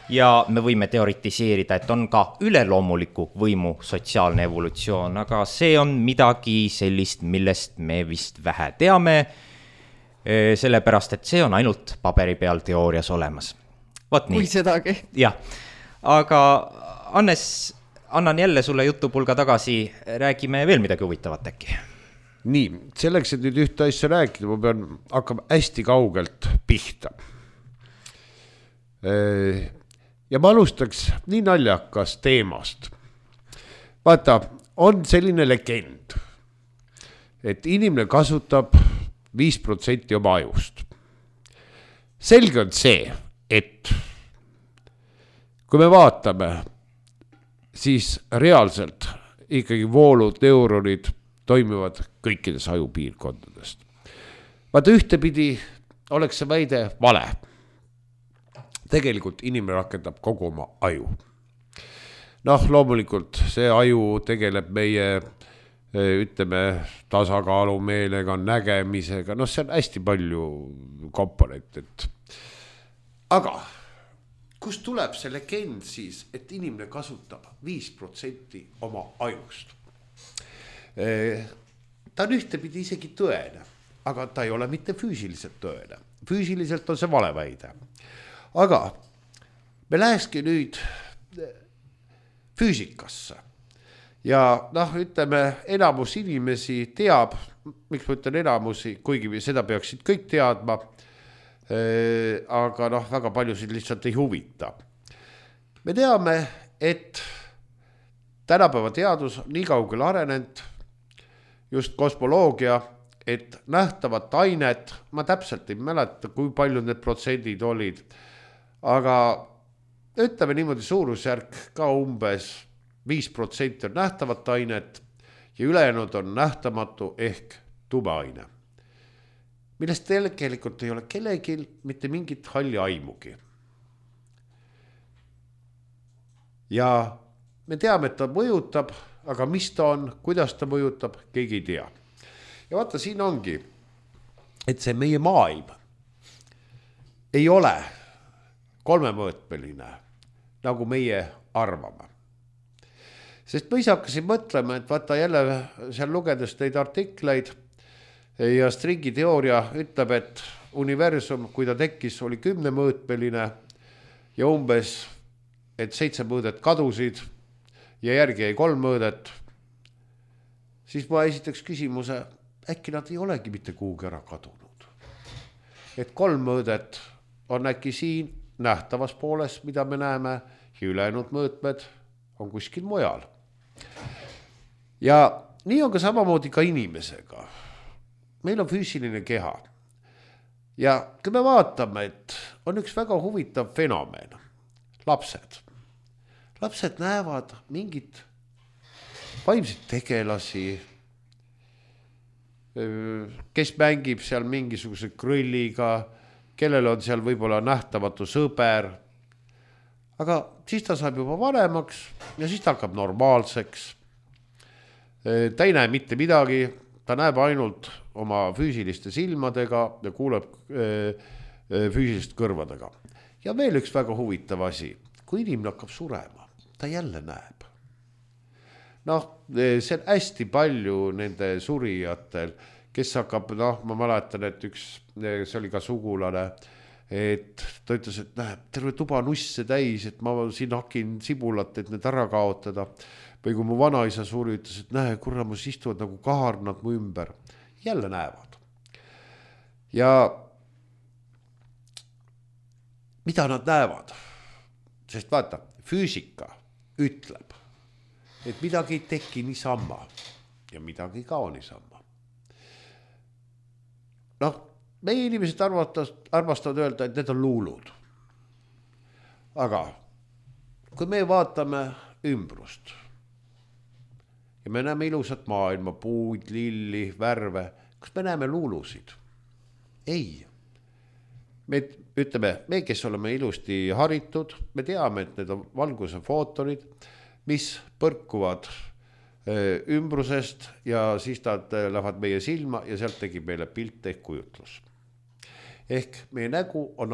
ja me võime teoritiseerida, et on ka üleloomuliku võimu sotsiaalne evolutsioon, aga see on midagi sellist, millest me vist vähe teame, sellepärast, et see on ainult paberi peal teoorias olemas. Vaat nii. Kui sedagi. Jah, aga Hannes, annan jälle sulle jutupulga tagasi, räägime veel midagi huvitavat äkki. Nii, selleks, et nüüd ühte asja rääkida, ma pean hakkama hästi kaugelt pihta. Ja ma alustaks nii naljakas teemast. Vaata, on selline legend, et inimene kasutab viis protsenti oma ajust. Selge on see, et kui me vaatame, siis reaalselt ikkagi voolud, neuronid toimivad kõikides ajupiirkondadest. Vaata, ühtepidi oleks see väide vale. Tegelikult inimene rakendab kogu oma aju. Noh, loomulikult see aju tegeleb meie ütleme tasakaalu meelega, nägemisega, noh, see on hästi palju komponentit. Aga kust tuleb see legend siis, et inimene kasutab viis protsenti oma ajust? Ta on ühtepidi isegi tõene, aga ta ei ole mitte füüsiliselt tõene. Füüsiliselt on see valeväide. Aga me lähekski nüüd füüsikasse. Ja noh, ütleme, enamus inimesi teab, miks ma ütlen enamusi, kuigi seda peaksid kõik teadma, aga noh, väga paljusid lihtsalt ei huvita. Me teame, et tänapäeva teadus on nii kaugele arenenud, just kosmoloogia, et nähtavat ainet, ma täpselt ei mäleta, kui palju need protsendid olid, aga ütleme niimoodi suurusjärk ka umbes viis protsenti on nähtavat ainet ja ülejäänud on nähtamatu ehk tumeaine, millest tegelikult ei ole kellelgi mitte mingit halli aimugi. Ja me teame, et ta mõjutab, aga mis ta on, kuidas ta mõjutab, keegi ei tea. Ja vaata, siin ongi, et see meie maailm ei ole kolmemõõtmeline, nagu meie arvame. Sest ma ise hakkasin mõtlema, et vaata jälle seal lugedes neid artikleid ja stringiteooria ütleb, et universum, kui ta tekkis, oli kümnemõõtmeline ja umbes, et seitse mõõdet kadusid ja järgi jäi kolm mõõdet, siis ma esitaks küsimuse, äkki nad ei olegi mitte kuhugi ära kadunud. Et kolm mõõdet on äkki siin nähtavas pooles, mida me näeme, ja ülejäänud mõõtmed on kuskil mujal. Ja nii on ka samamoodi ka inimesega. Meil on füüsiline keha. ja kui me vaatame, et on üks väga huvitav fenomen, lapsed. Lapsed näevad mingit vaimseid tegelasi, kes mängib seal mingisuguse krõlliga, kellel on seal võib-olla nähtamatu sõber, aga siis ta saab juba vanemaks ja siis ta hakkab normaalseks. Ta ei näe mitte midagi, ta näeb ainult oma füüsiliste silmadega ja kuuleb füüsilist kõrvadega. Ja veel üks väga huvitav asi, kui inimene hakkab surema, ta jälle näeb. Noh, see on hästi palju nende surijatel, kes hakkab, noh, ma mäletan, et üks, see oli ka sugulane, et ta ütles, et näeb, terve tuba nusse täis, et ma siin hakin sibulat, et need ära kaotada. Või kui mu vanaisa suri, ütles, et näe, kurramus istuvad nagu kaarnad mu ümber. Jälle näevad. Ja mida nad näevad? Sest vaata, füüsika ütleb, et midagi ei teki niisama ja midagi ei kao niisama. Noh, meie inimesed arvastavad, arvastavad öelda, et need on luulud. Aga kui me vaatame ümbrust ja me näeme ilusat maailma, puud, lilli, värve, kas me näeme luulusid? Ei. Me ütleme, me, kes oleme ilusti haritud, me teame, et need on valguse footonid, mis põrkuvad ümbrusest ja siis nad lähevad meie silma ja sealt tegib meile pilt ehk kujutlus. Ehk meie nägu on,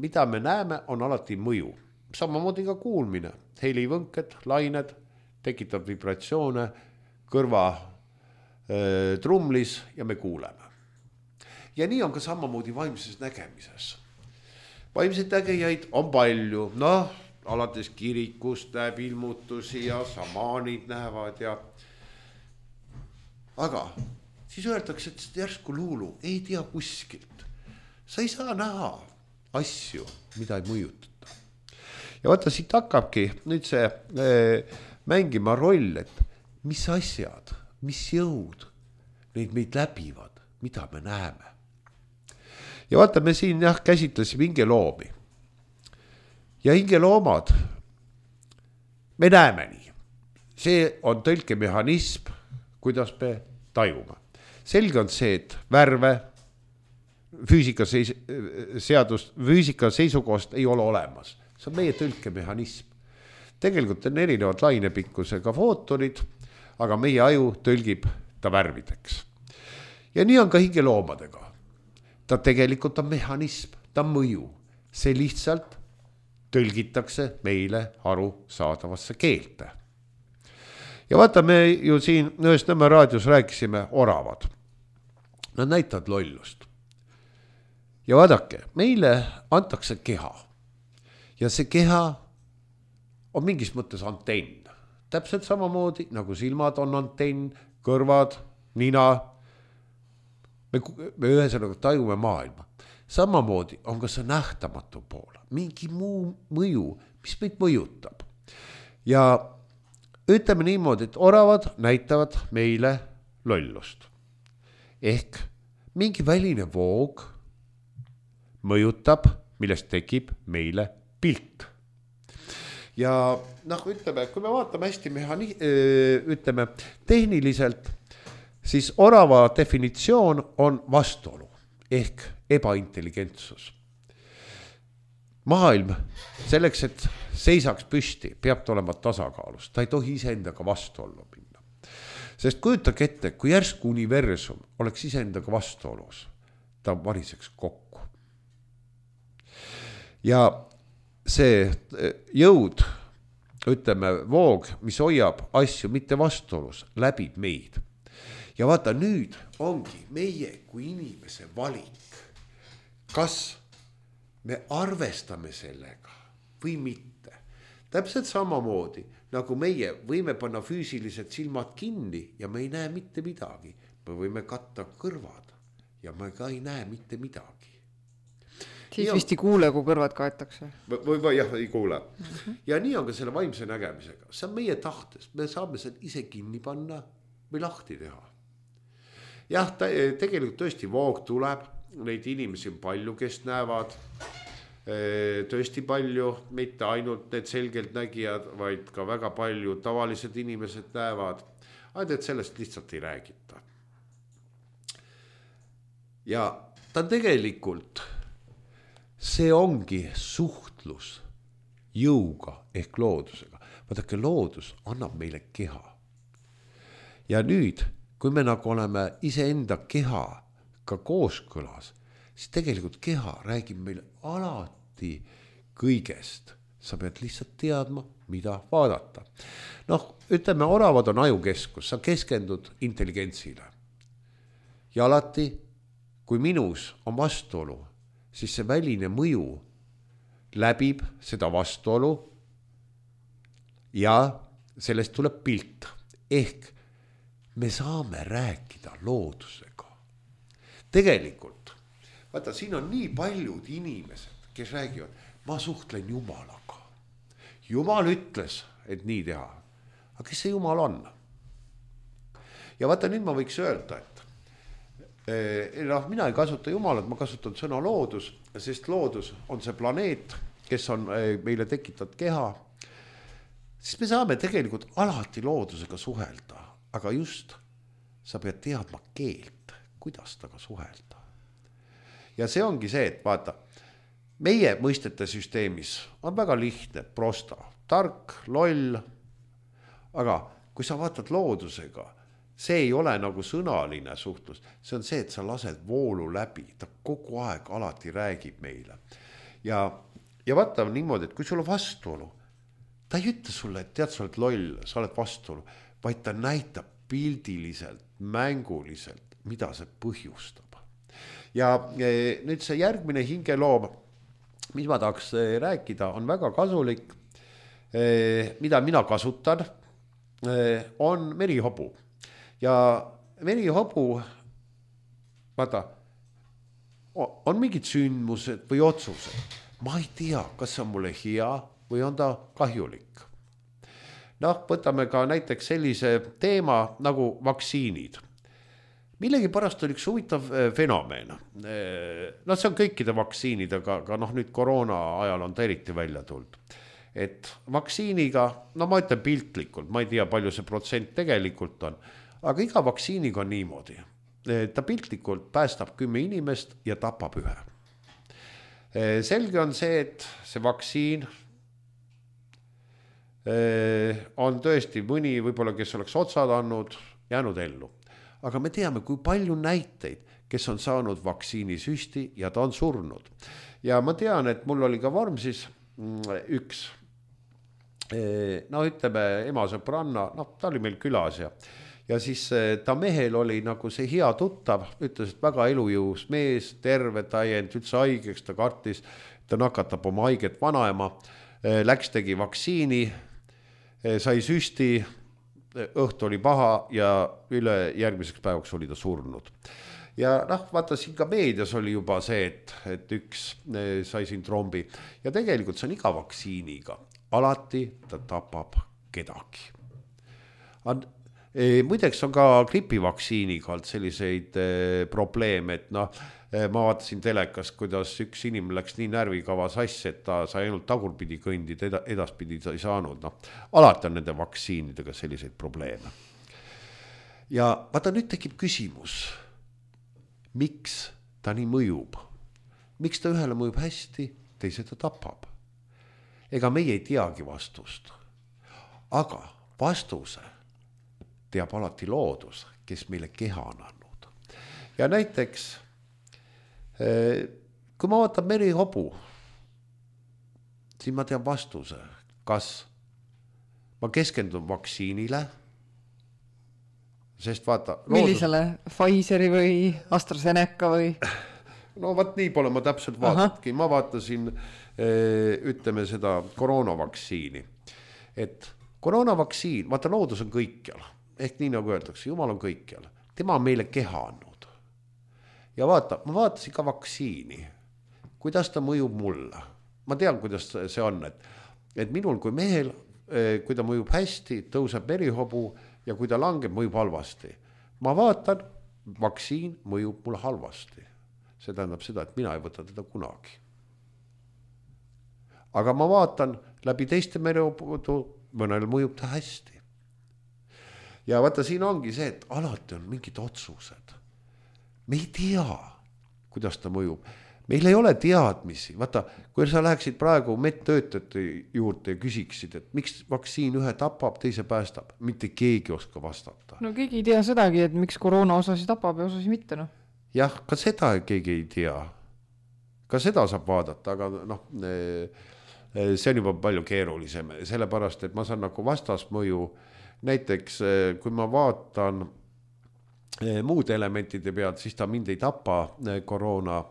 mida me näeme, on alati mõju. Samamoodi ka kuulmine, helivõnked, lained, tekitab vibratsioone kõrva äh, trumlis ja me kuuleme. Ja nii on ka samamoodi vaimses nägemises. Vaimseid nägejaid on palju, noh, alates kirikust näeb ilmutusi ja samaanid näevad ja aga siis öeldakse, et järsku luulu ei tea kuskilt. Sa ei saa näha asju, mida ei mõjutata. Ja vaata, siit hakkabki nüüd see äh, mängima roll, et mis asjad, mis jõud neid meid läbivad, mida me näeme. Ja vaata, me siin jah, käsitlesime hingeloomi. Ja hingeloomad, me näeme nii. See on tõlkemehhanism, kuidas me tajume. Selge on see, et värve füüsika, seis, seadust, füüsika seisukohast ei ole olemas. See on meie tõlkemehhanism. Tegelikult on erinevad lainepikkusega footonid, aga meie aju tõlgib ta värvideks. Ja nii on ka hingeloomadega. Ta tegelikult on mehhanism, ta on mõju. See lihtsalt tõlgitakse meile aru saadavasse keelte. Ja vaata, me ju siin ühes Nõmme raadios rääkisime oravad. Nad näitavad lollust. Ja vaadake, meile antakse keha. Ja see keha on mingis mõttes antenn. Täpselt samamoodi, nagu silmad on antenn, kõrvad, nina. Me, me ühesõnaga tajume maailma. Samamoodi on ka see nähtamatu pool. Mingi muu mõju, mis meid mõjutab. Ja ütleme niimoodi, et oravad näitavad meile lollust. Ehk mingi väline voog mõjutab, millest tekib meile pilt. Ja noh, ütleme, kui me vaatame hästi mehani-, ütleme, tehniliselt, siis orava definitsioon on vastuolu ehk ebaintelligentsus. Maailm selleks, et seisaks püsti, peab ta olema tasakaalus. Ta ei tohi iseendaga vastuollu minna. Sest kujutage ette, kui järsku universum oleks iseendaga vastuolus, ta variseks kokku. Ja see jõud, ütleme, voog, mis hoiab asju mitte vastuolus, läbib meid. Ja vaata, nüüd ongi meie kui inimese valik, kas me arvestame sellega või mitte. Täpselt samamoodi, nagu meie võime panna füüsilised silmad kinni ja me ei näe mitte midagi. Me võime katta kõrvad ja me ka ei näe mitte midagi. Siis ja vist ei kuule, kui kõrvad kaetakse. Või, või jah, ei kuule. Uh-huh. Ja nii on ka selle vaimse nägemisega. See on meie tahtes. Me saame seda ise kinni panna või lahti teha. Jah, ta, tegelikult tõesti voog tuleb neid inimesi on palju, kes näevad tõesti palju, mitte ainult need selgelt nägijad, vaid ka väga palju tavalised inimesed näevad, ainult et sellest lihtsalt ei räägita. Ja ta tegelikult, see ongi suhtlus jõuga ehk loodusega. Vaadake, loodus annab meile keha. Ja nüüd, kui me nagu oleme iseenda keha ka kooskõlas, siis tegelikult keha räägib meile alati kõigest. Sa pead lihtsalt teadma, mida vaadata. Noh, ütleme, oravad on ajukeskus, sa keskendud intelligentsile. Ja alati, kui minus on vastuolu, siis see väline mõju läbib seda vastuolu ja sellest tuleb pilt. Ehk me saame rääkida loodusega. Tegelikult, vaata, siin on nii paljud inimesed, kes räägivad, ma suhtlen Jumalaga. Jumal ütles, et nii teha. Aga kes see Jumal on? Ja vaata, nüüd ma võiks öelda, et eh, noh, mina ei kasuta Jumalat, ma kasutan sõna loodus, sest loodus on see planeet, kes on eh, meile tekitatud keha. Siis me saame tegelikult alati loodusega suhelda, aga just sa pead teadma keelt, kuidas taga suhelda. Ja see ongi see, et vaata, meie mõistete süsteemis on väga lihtne, prosta, tark, loll, aga kui sa vaatad loodusega, see ei ole nagu sõnaline suhtlus, see on see, et sa lased voolu läbi, ta kogu aeg alati räägib meile. Ja, ja vaata niimoodi, et kui sul on vastuolu, ta ei ütle sulle, et tead, sa oled loll, sa oled vastuolu, vaid ta näitab pildiliselt, mänguliselt, mida see põhjustab. Ja nüüd see järgmine hingeloom, mis ma tahaks rääkida, on väga kasulik, mida mina kasutan, on merihobu. Ja merihobu, vaata, on mingid sündmused või otsused. Ma ei tea, kas see on mulle hea või on ta kahjulik. Noh, võtame ka näiteks sellise teema nagu vaktsiinid. Millegi pärast oli üks huvitav fenomen. No see on kõikide vaktsiinidega, aga noh, nüüd koroona ajal on ta eriti välja tulnud. Et vaktsiiniga, no ma ütlen piltlikult, ma ei tea, palju see protsent tegelikult on, aga iga vaktsiiniga on niimoodi. Ta piltlikult päästab kümme inimest ja tapab ühe. Selge on see, et see vaktsiin on tõesti mõni, võib-olla kes oleks otsad andnud, jäänud ellu. Aga me teame, kui palju näiteid, kes on saanud vaktsiinisüsti ja ta on surnud. Ja ma tean, et mul oli ka Vormsis üks, no ütleme, ema sõbranna, no ta oli meil külas ja, ja siis ta mehel oli nagu see hea tuttav, ütles, et väga elujõus mees, terve, ta ei jäänud üldse haigeks, ta kartis, ta nakatab oma haiget vanaema, läks tegi vaktsiini, sai süsti, õhtu oli paha ja üle järgmiseks päevaks oli ta surnud. Ja noh, vaata siin ka meedias oli juba see, et, et üks sai siin trombi ja tegelikult see on iga vaktsiiniga. Alati ta tapab kedagi. Muideks on ka gripivaktsiiniga olnud selliseid probleeme, et noh, ma vaatasin telekast, kuidas üks inimene läks nii närvikava sassi, et ta sai ainult tagurpidi kõndid, edaspidi ta ei saanud. No, alati on nende vaktsiinidega selliseid probleeme. Ja vaata, nüüd tekib küsimus, miks ta nii mõjub? Miks ta ühele mõjub hästi, teise ta tapab? Ega meie ei teagi vastust. Aga vastuse teab alati loodus, kes meile keha on andnud. Ja näiteks kui ma vaatan merihobu, siis ma tean vastuse, kas ma keskendun vaktsiinile, sest vaata... Millisele? Loodus... Pfizeri või AstraZeneca või? No vaat nii pole ma täpselt vaatatki. Ma vaatasin, ütleme seda koroonavaktsiini. Et koroonavaktsiin, vaata loodus on kõikjal. Ehk nii nagu öeldakse, Jumal on kõikjal. Tema on meile keha andnud. Ja vaata, ma vaatasin ka vaktsiini, kuidas ta mõjub mulle. Ma tean, kuidas see on, et, et minul kui mehel, kui ta mõjub hästi, tõuseb merihobu ja kui ta langeb, mõjub halvasti. Ma vaatan, vaktsiin mõjub mulle halvasti. see tähendab seda, et mina ei võta teda kunagi. Aga ma vaatan läbi teiste mereopuudu, mõnel mõjub ta hästi. Ja vaata, siin ongi see, et alati on mingid otsused. Me ei tea, kuidas ta mõjub. Meil ei ole teadmisi. Vaata, kui sa läheksid praegu medtöötajate juurde ja küsiksid, et miks vaktsiin ühe tapab, teise päästab, mitte keegi oska vastata. No keegi ei tea sedagi, et miks koroona osasi tapab ja osasi mitte. No. Jah, ka seda keegi ei tea. Ka seda saab vaadata, aga noh, see on juba palju keerulisem. Sellepärast, et ma saan nagu vastasmõju. Näiteks, kui ma vaatan muude elementide pealt, siis ta mind ei tapa koroona,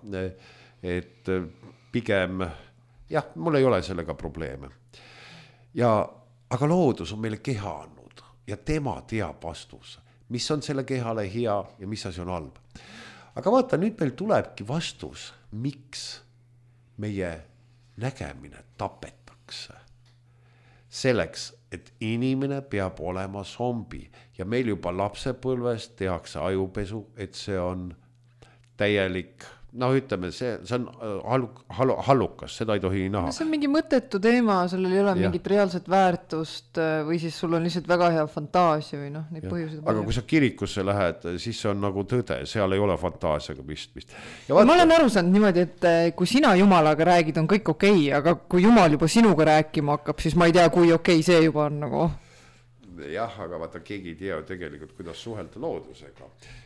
et pigem, jah, mul ei ole sellega probleeme. Ja, aga loodus on meile keha andnud ja tema teab vastus, mis on selle kehale hea ja mis asi on halb. Aga vaata, nüüd meil tulebki vastus, miks meie nägemine tapetakse. Selleks, et inimene peab olema zombi ja meil juba lapsepõlves tehakse ajupesu, et see on täielik, no ütleme, see, see on haluk, hallukas, seda ei tohi näha. See on mingi mõttetu teema, sellel ei ole ja. Mingit reaalset väärtust või siis sul on lihtsalt väga hea fantaasia või noh, neid põhjuseid. Aga kui sa kirikusse lähed, siis see on nagu tõde, seal ei ole fantaasiaga pistmist. Vaata... Ma olen aru saanud niimoodi, et kui sina Jumalaga räägid, on kõik okei, aga kui Jumal juba sinuga rääkima hakkab, siis ma ei tea, kui okei see juba on nagu... Jah, aga vaata, keegi ei tea tegelikult, kuidas suhelda loodusega.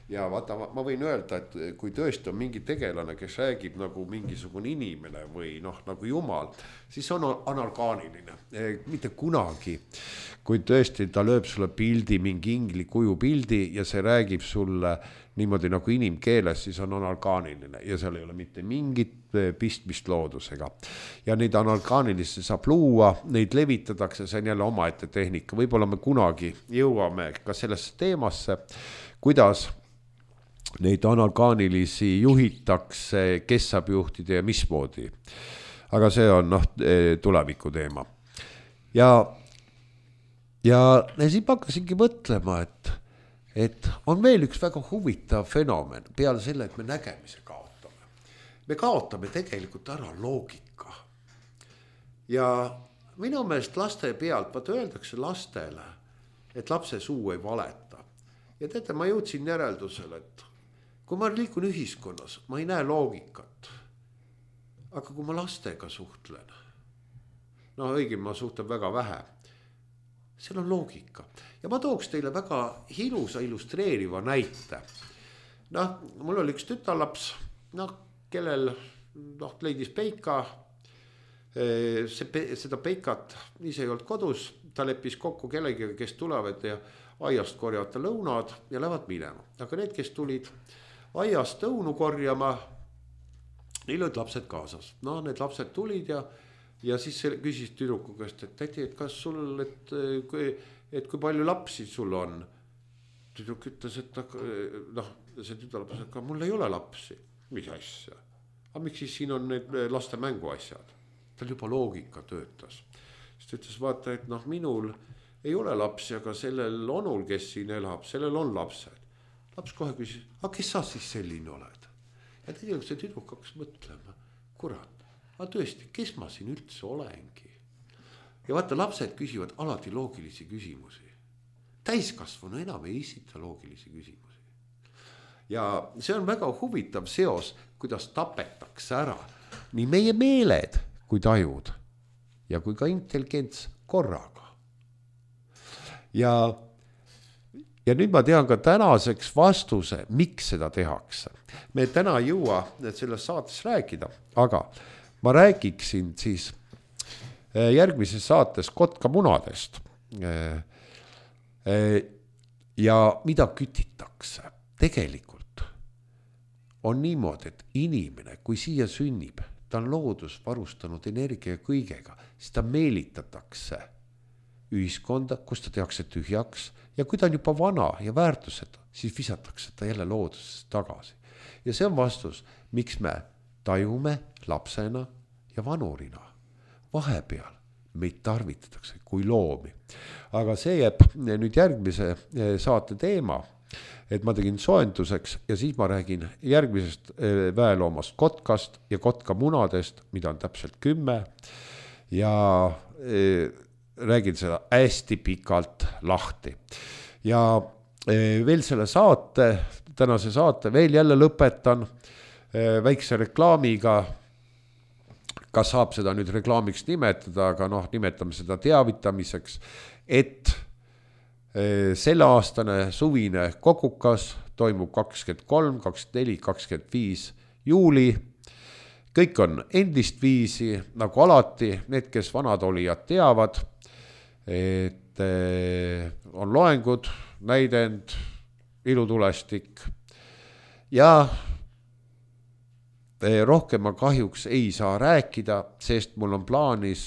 Ja vaata, ma võin öelda, et kui tõesti on mingi tegelane, kes räägib nagu mingisugune inimene või noh, nagu Jumal, siis on anorgaaniline. Mitte kunagi, kui tõesti ta lööb sulle pildi, mingi ingli kuju pildi ja see räägib sulle niimoodi nagu inimkeeles, siis on anorgaaniline ja seal ei ole mitte mingit pistmist loodusega. Ja neid anorgaanilisi saab luua, neid levitadatakse, see on jälle omaette tehnika. Võib-olla me kunagi jõuame ka sellesse teemasse, kuidas neid anorgaanilisi juhitakse, kes saab juhtida ja mismoodi. Aga see on noh, tuleviku teema. Ja, ja siis ma hakkasingi mõtlema, et et on veel üks väga huvitav fenomen peale selle, et me nägemise kaotame. Me kaotame tegelikult ära loogika. Ja minu meelest laste pealt, vaata öeldakse lastele, et lapse suu ei valeta. Ja teate, ma jõudsin järeldusele, et kui ma liikun ühiskonnas, ma ei näe loogikat. Aga kui ma lastega suhtlen, no õigem ma suhtlen väga vähe, seal on loogika. Ja ma tooks teile väga ilusa illustreeriva näite. Noh, mul oli üks tütarlaps, noh, kellel noh, leidis peika, see, seda peikat ise ei olnud kodus, ta leppis kokku kellegiga, kes tulevad ja aiast korjavad lõunad ja lähevad minema. Aga need, kes tulid aiast õunu korjama, neil olid lapsed kaasas. No, need lapsed tulid ja Ja siis küsis tüdruku käest, et täti, et kas sul, et kui, et kui palju lapsi sul on? Tüdruk ütles, et noh, see tütarlaps, et mul ei ole lapsi. Mis asja? Aga miks siis siin on need laste mänguasjad? Tal juba loogika töötas. Siis ta ütles, vaata, et noh, minul ei ole lapsi, aga sellel onul, kes siin elab, sellel on lapsed. Laps kohe küsis, aga kes sa siis selline oled? Ja tegelikult see tüdruk hakkas mõtlema, kurat. Aga tõesti, kes ma siin üldse olengi? Ja vaata, lapsed küsivad alati loogilisi küsimusi. Täiskasvanu enam ei esita loogilisi küsimusi. Ja see on väga huvitav seos, kuidas tapetakse ära nii meie meeled kui tajud ja kui ka intelligents korraga. Ja, ja nüüd ma tean ka tänaseks vastuse, miks seda tehakse. Me täna ei jõua selles saates rääkida, aga ma räägiksin siis järgmises saates kotkamunadest ja mida kütitakse. Tegelikult on niimoodi, et inimene, kui siia sünnib, ta on loodus varustanud energia kõigega, siis ta meelitatakse ühiskonda, kus ta tehakse tühjaks ja kui ta on juba vana ja väärtused, siis visatakse ta jälle loodusesse tagasi. Ja see on vastus, miks me tajume lapsena ja vanurina. Vahepeal meid tarvitatakse kui loomi. Aga see jääb nüüd järgmise saate teema. et ma tegin soenduseks ja siis ma räägin järgmisest väeloomast kotkast ja kotka munadest, mida on täpselt kümme ja räägin seda hästi pikalt lahti. Ja veel selle saate, tänase saate veel jälle lõpetan väikse reklaamiga, kas saab seda nüüd reklaamiks nimetada, aga noh, nimetame seda teavitamiseks, et selle aastane suvine kogukas toimub kakskümmend kolm, kakskümmend neli, kakskümmend viis juuli. Kõik on endist viisi, nagu alati, need, kes vanad olijad teavad, et on loengud, näidend, ilutulestik ja rohkem ma kahjuks ei saa rääkida, sest mul on plaanis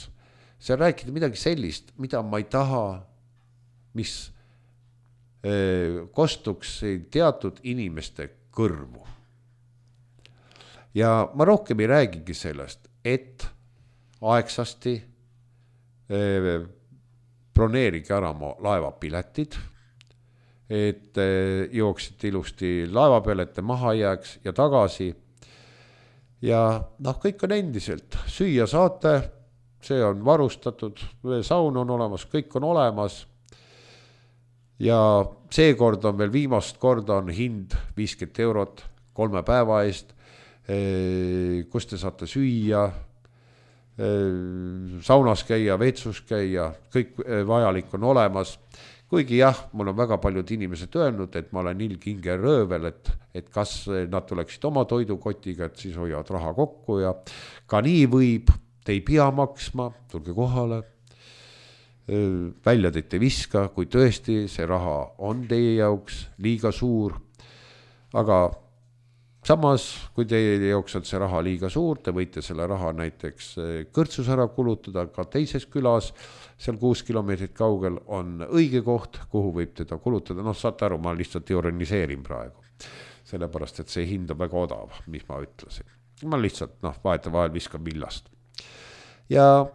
see rääkida midagi sellist, mida ma ei taha, mis kostuks teatud inimeste kõrvu. Ja ma rohkem ei räägigi sellest, et aegsasti broneerige ära oma laevapiletid, et jooksite ilusti laeva peale, et te maha jääks ja tagasi. Ja noh, kõik on endiselt, süüa saate, see on varustatud, saun on olemas, kõik on olemas. Ja seekord on veel viimast korda on hind viiskümmend eurot kolme päeva eest, kus te saate süüa, saunas käia, vetsus käia, kõik vajalik on olemas. Kuigi jah, mul on väga paljud inimesed öelnud, et ma olen ilginge röövel, et, et kas nad tuleksid oma toidukotiga, et siis hoiavad raha kokku ja ka nii võib, te ei pea maksma, tulge kohale. Välja teid ei viska, kui tõesti see raha on teie jaoks liiga suur, aga samas, kui teie jaoks on see raha liiga suur, te võite selle raha näiteks kõrtsus ära kulutada, ka teises külas, seal kuus kilomeetrit kaugel on õige koht, kuhu võib teda kulutada, noh saate aru, ma lihtsalt ironiseerin praegu, sellepärast, et see hind on väga odav, mis ma ütlesin. Ma lihtsalt, noh, vahet vahel viskan villast. Ja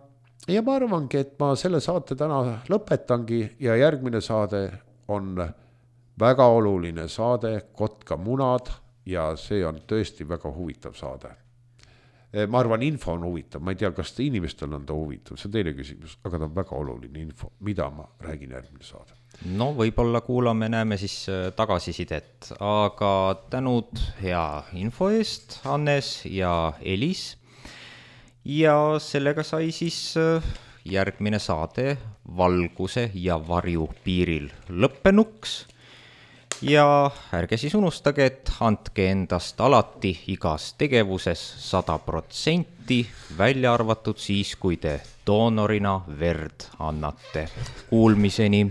Ja ma arvangi, et ma selle saate täna lõpetangi ja järgmine saade on väga oluline saade, Kotka munad ja see on tõesti väga huvitav saade. Ma arvan, info on huvitav, ma ei tea, kas inimestel on ta huvitav, see on teine küsimus, aga ta on väga oluline info, mida ma räägin järgmine saade. No võib-olla kuulame, näeme siis tagasisidet, aga tänud hea info eest, Hannes ja Elis. Ja sellega sai siis järgmine saade Valguse ja varju piiril lõppenuks. Ja ärge siis unustage, et andke endast alati igas tegevuses sada protsenti, välja arvatud siis, kui te doonorina verd annate. Kuulmiseni!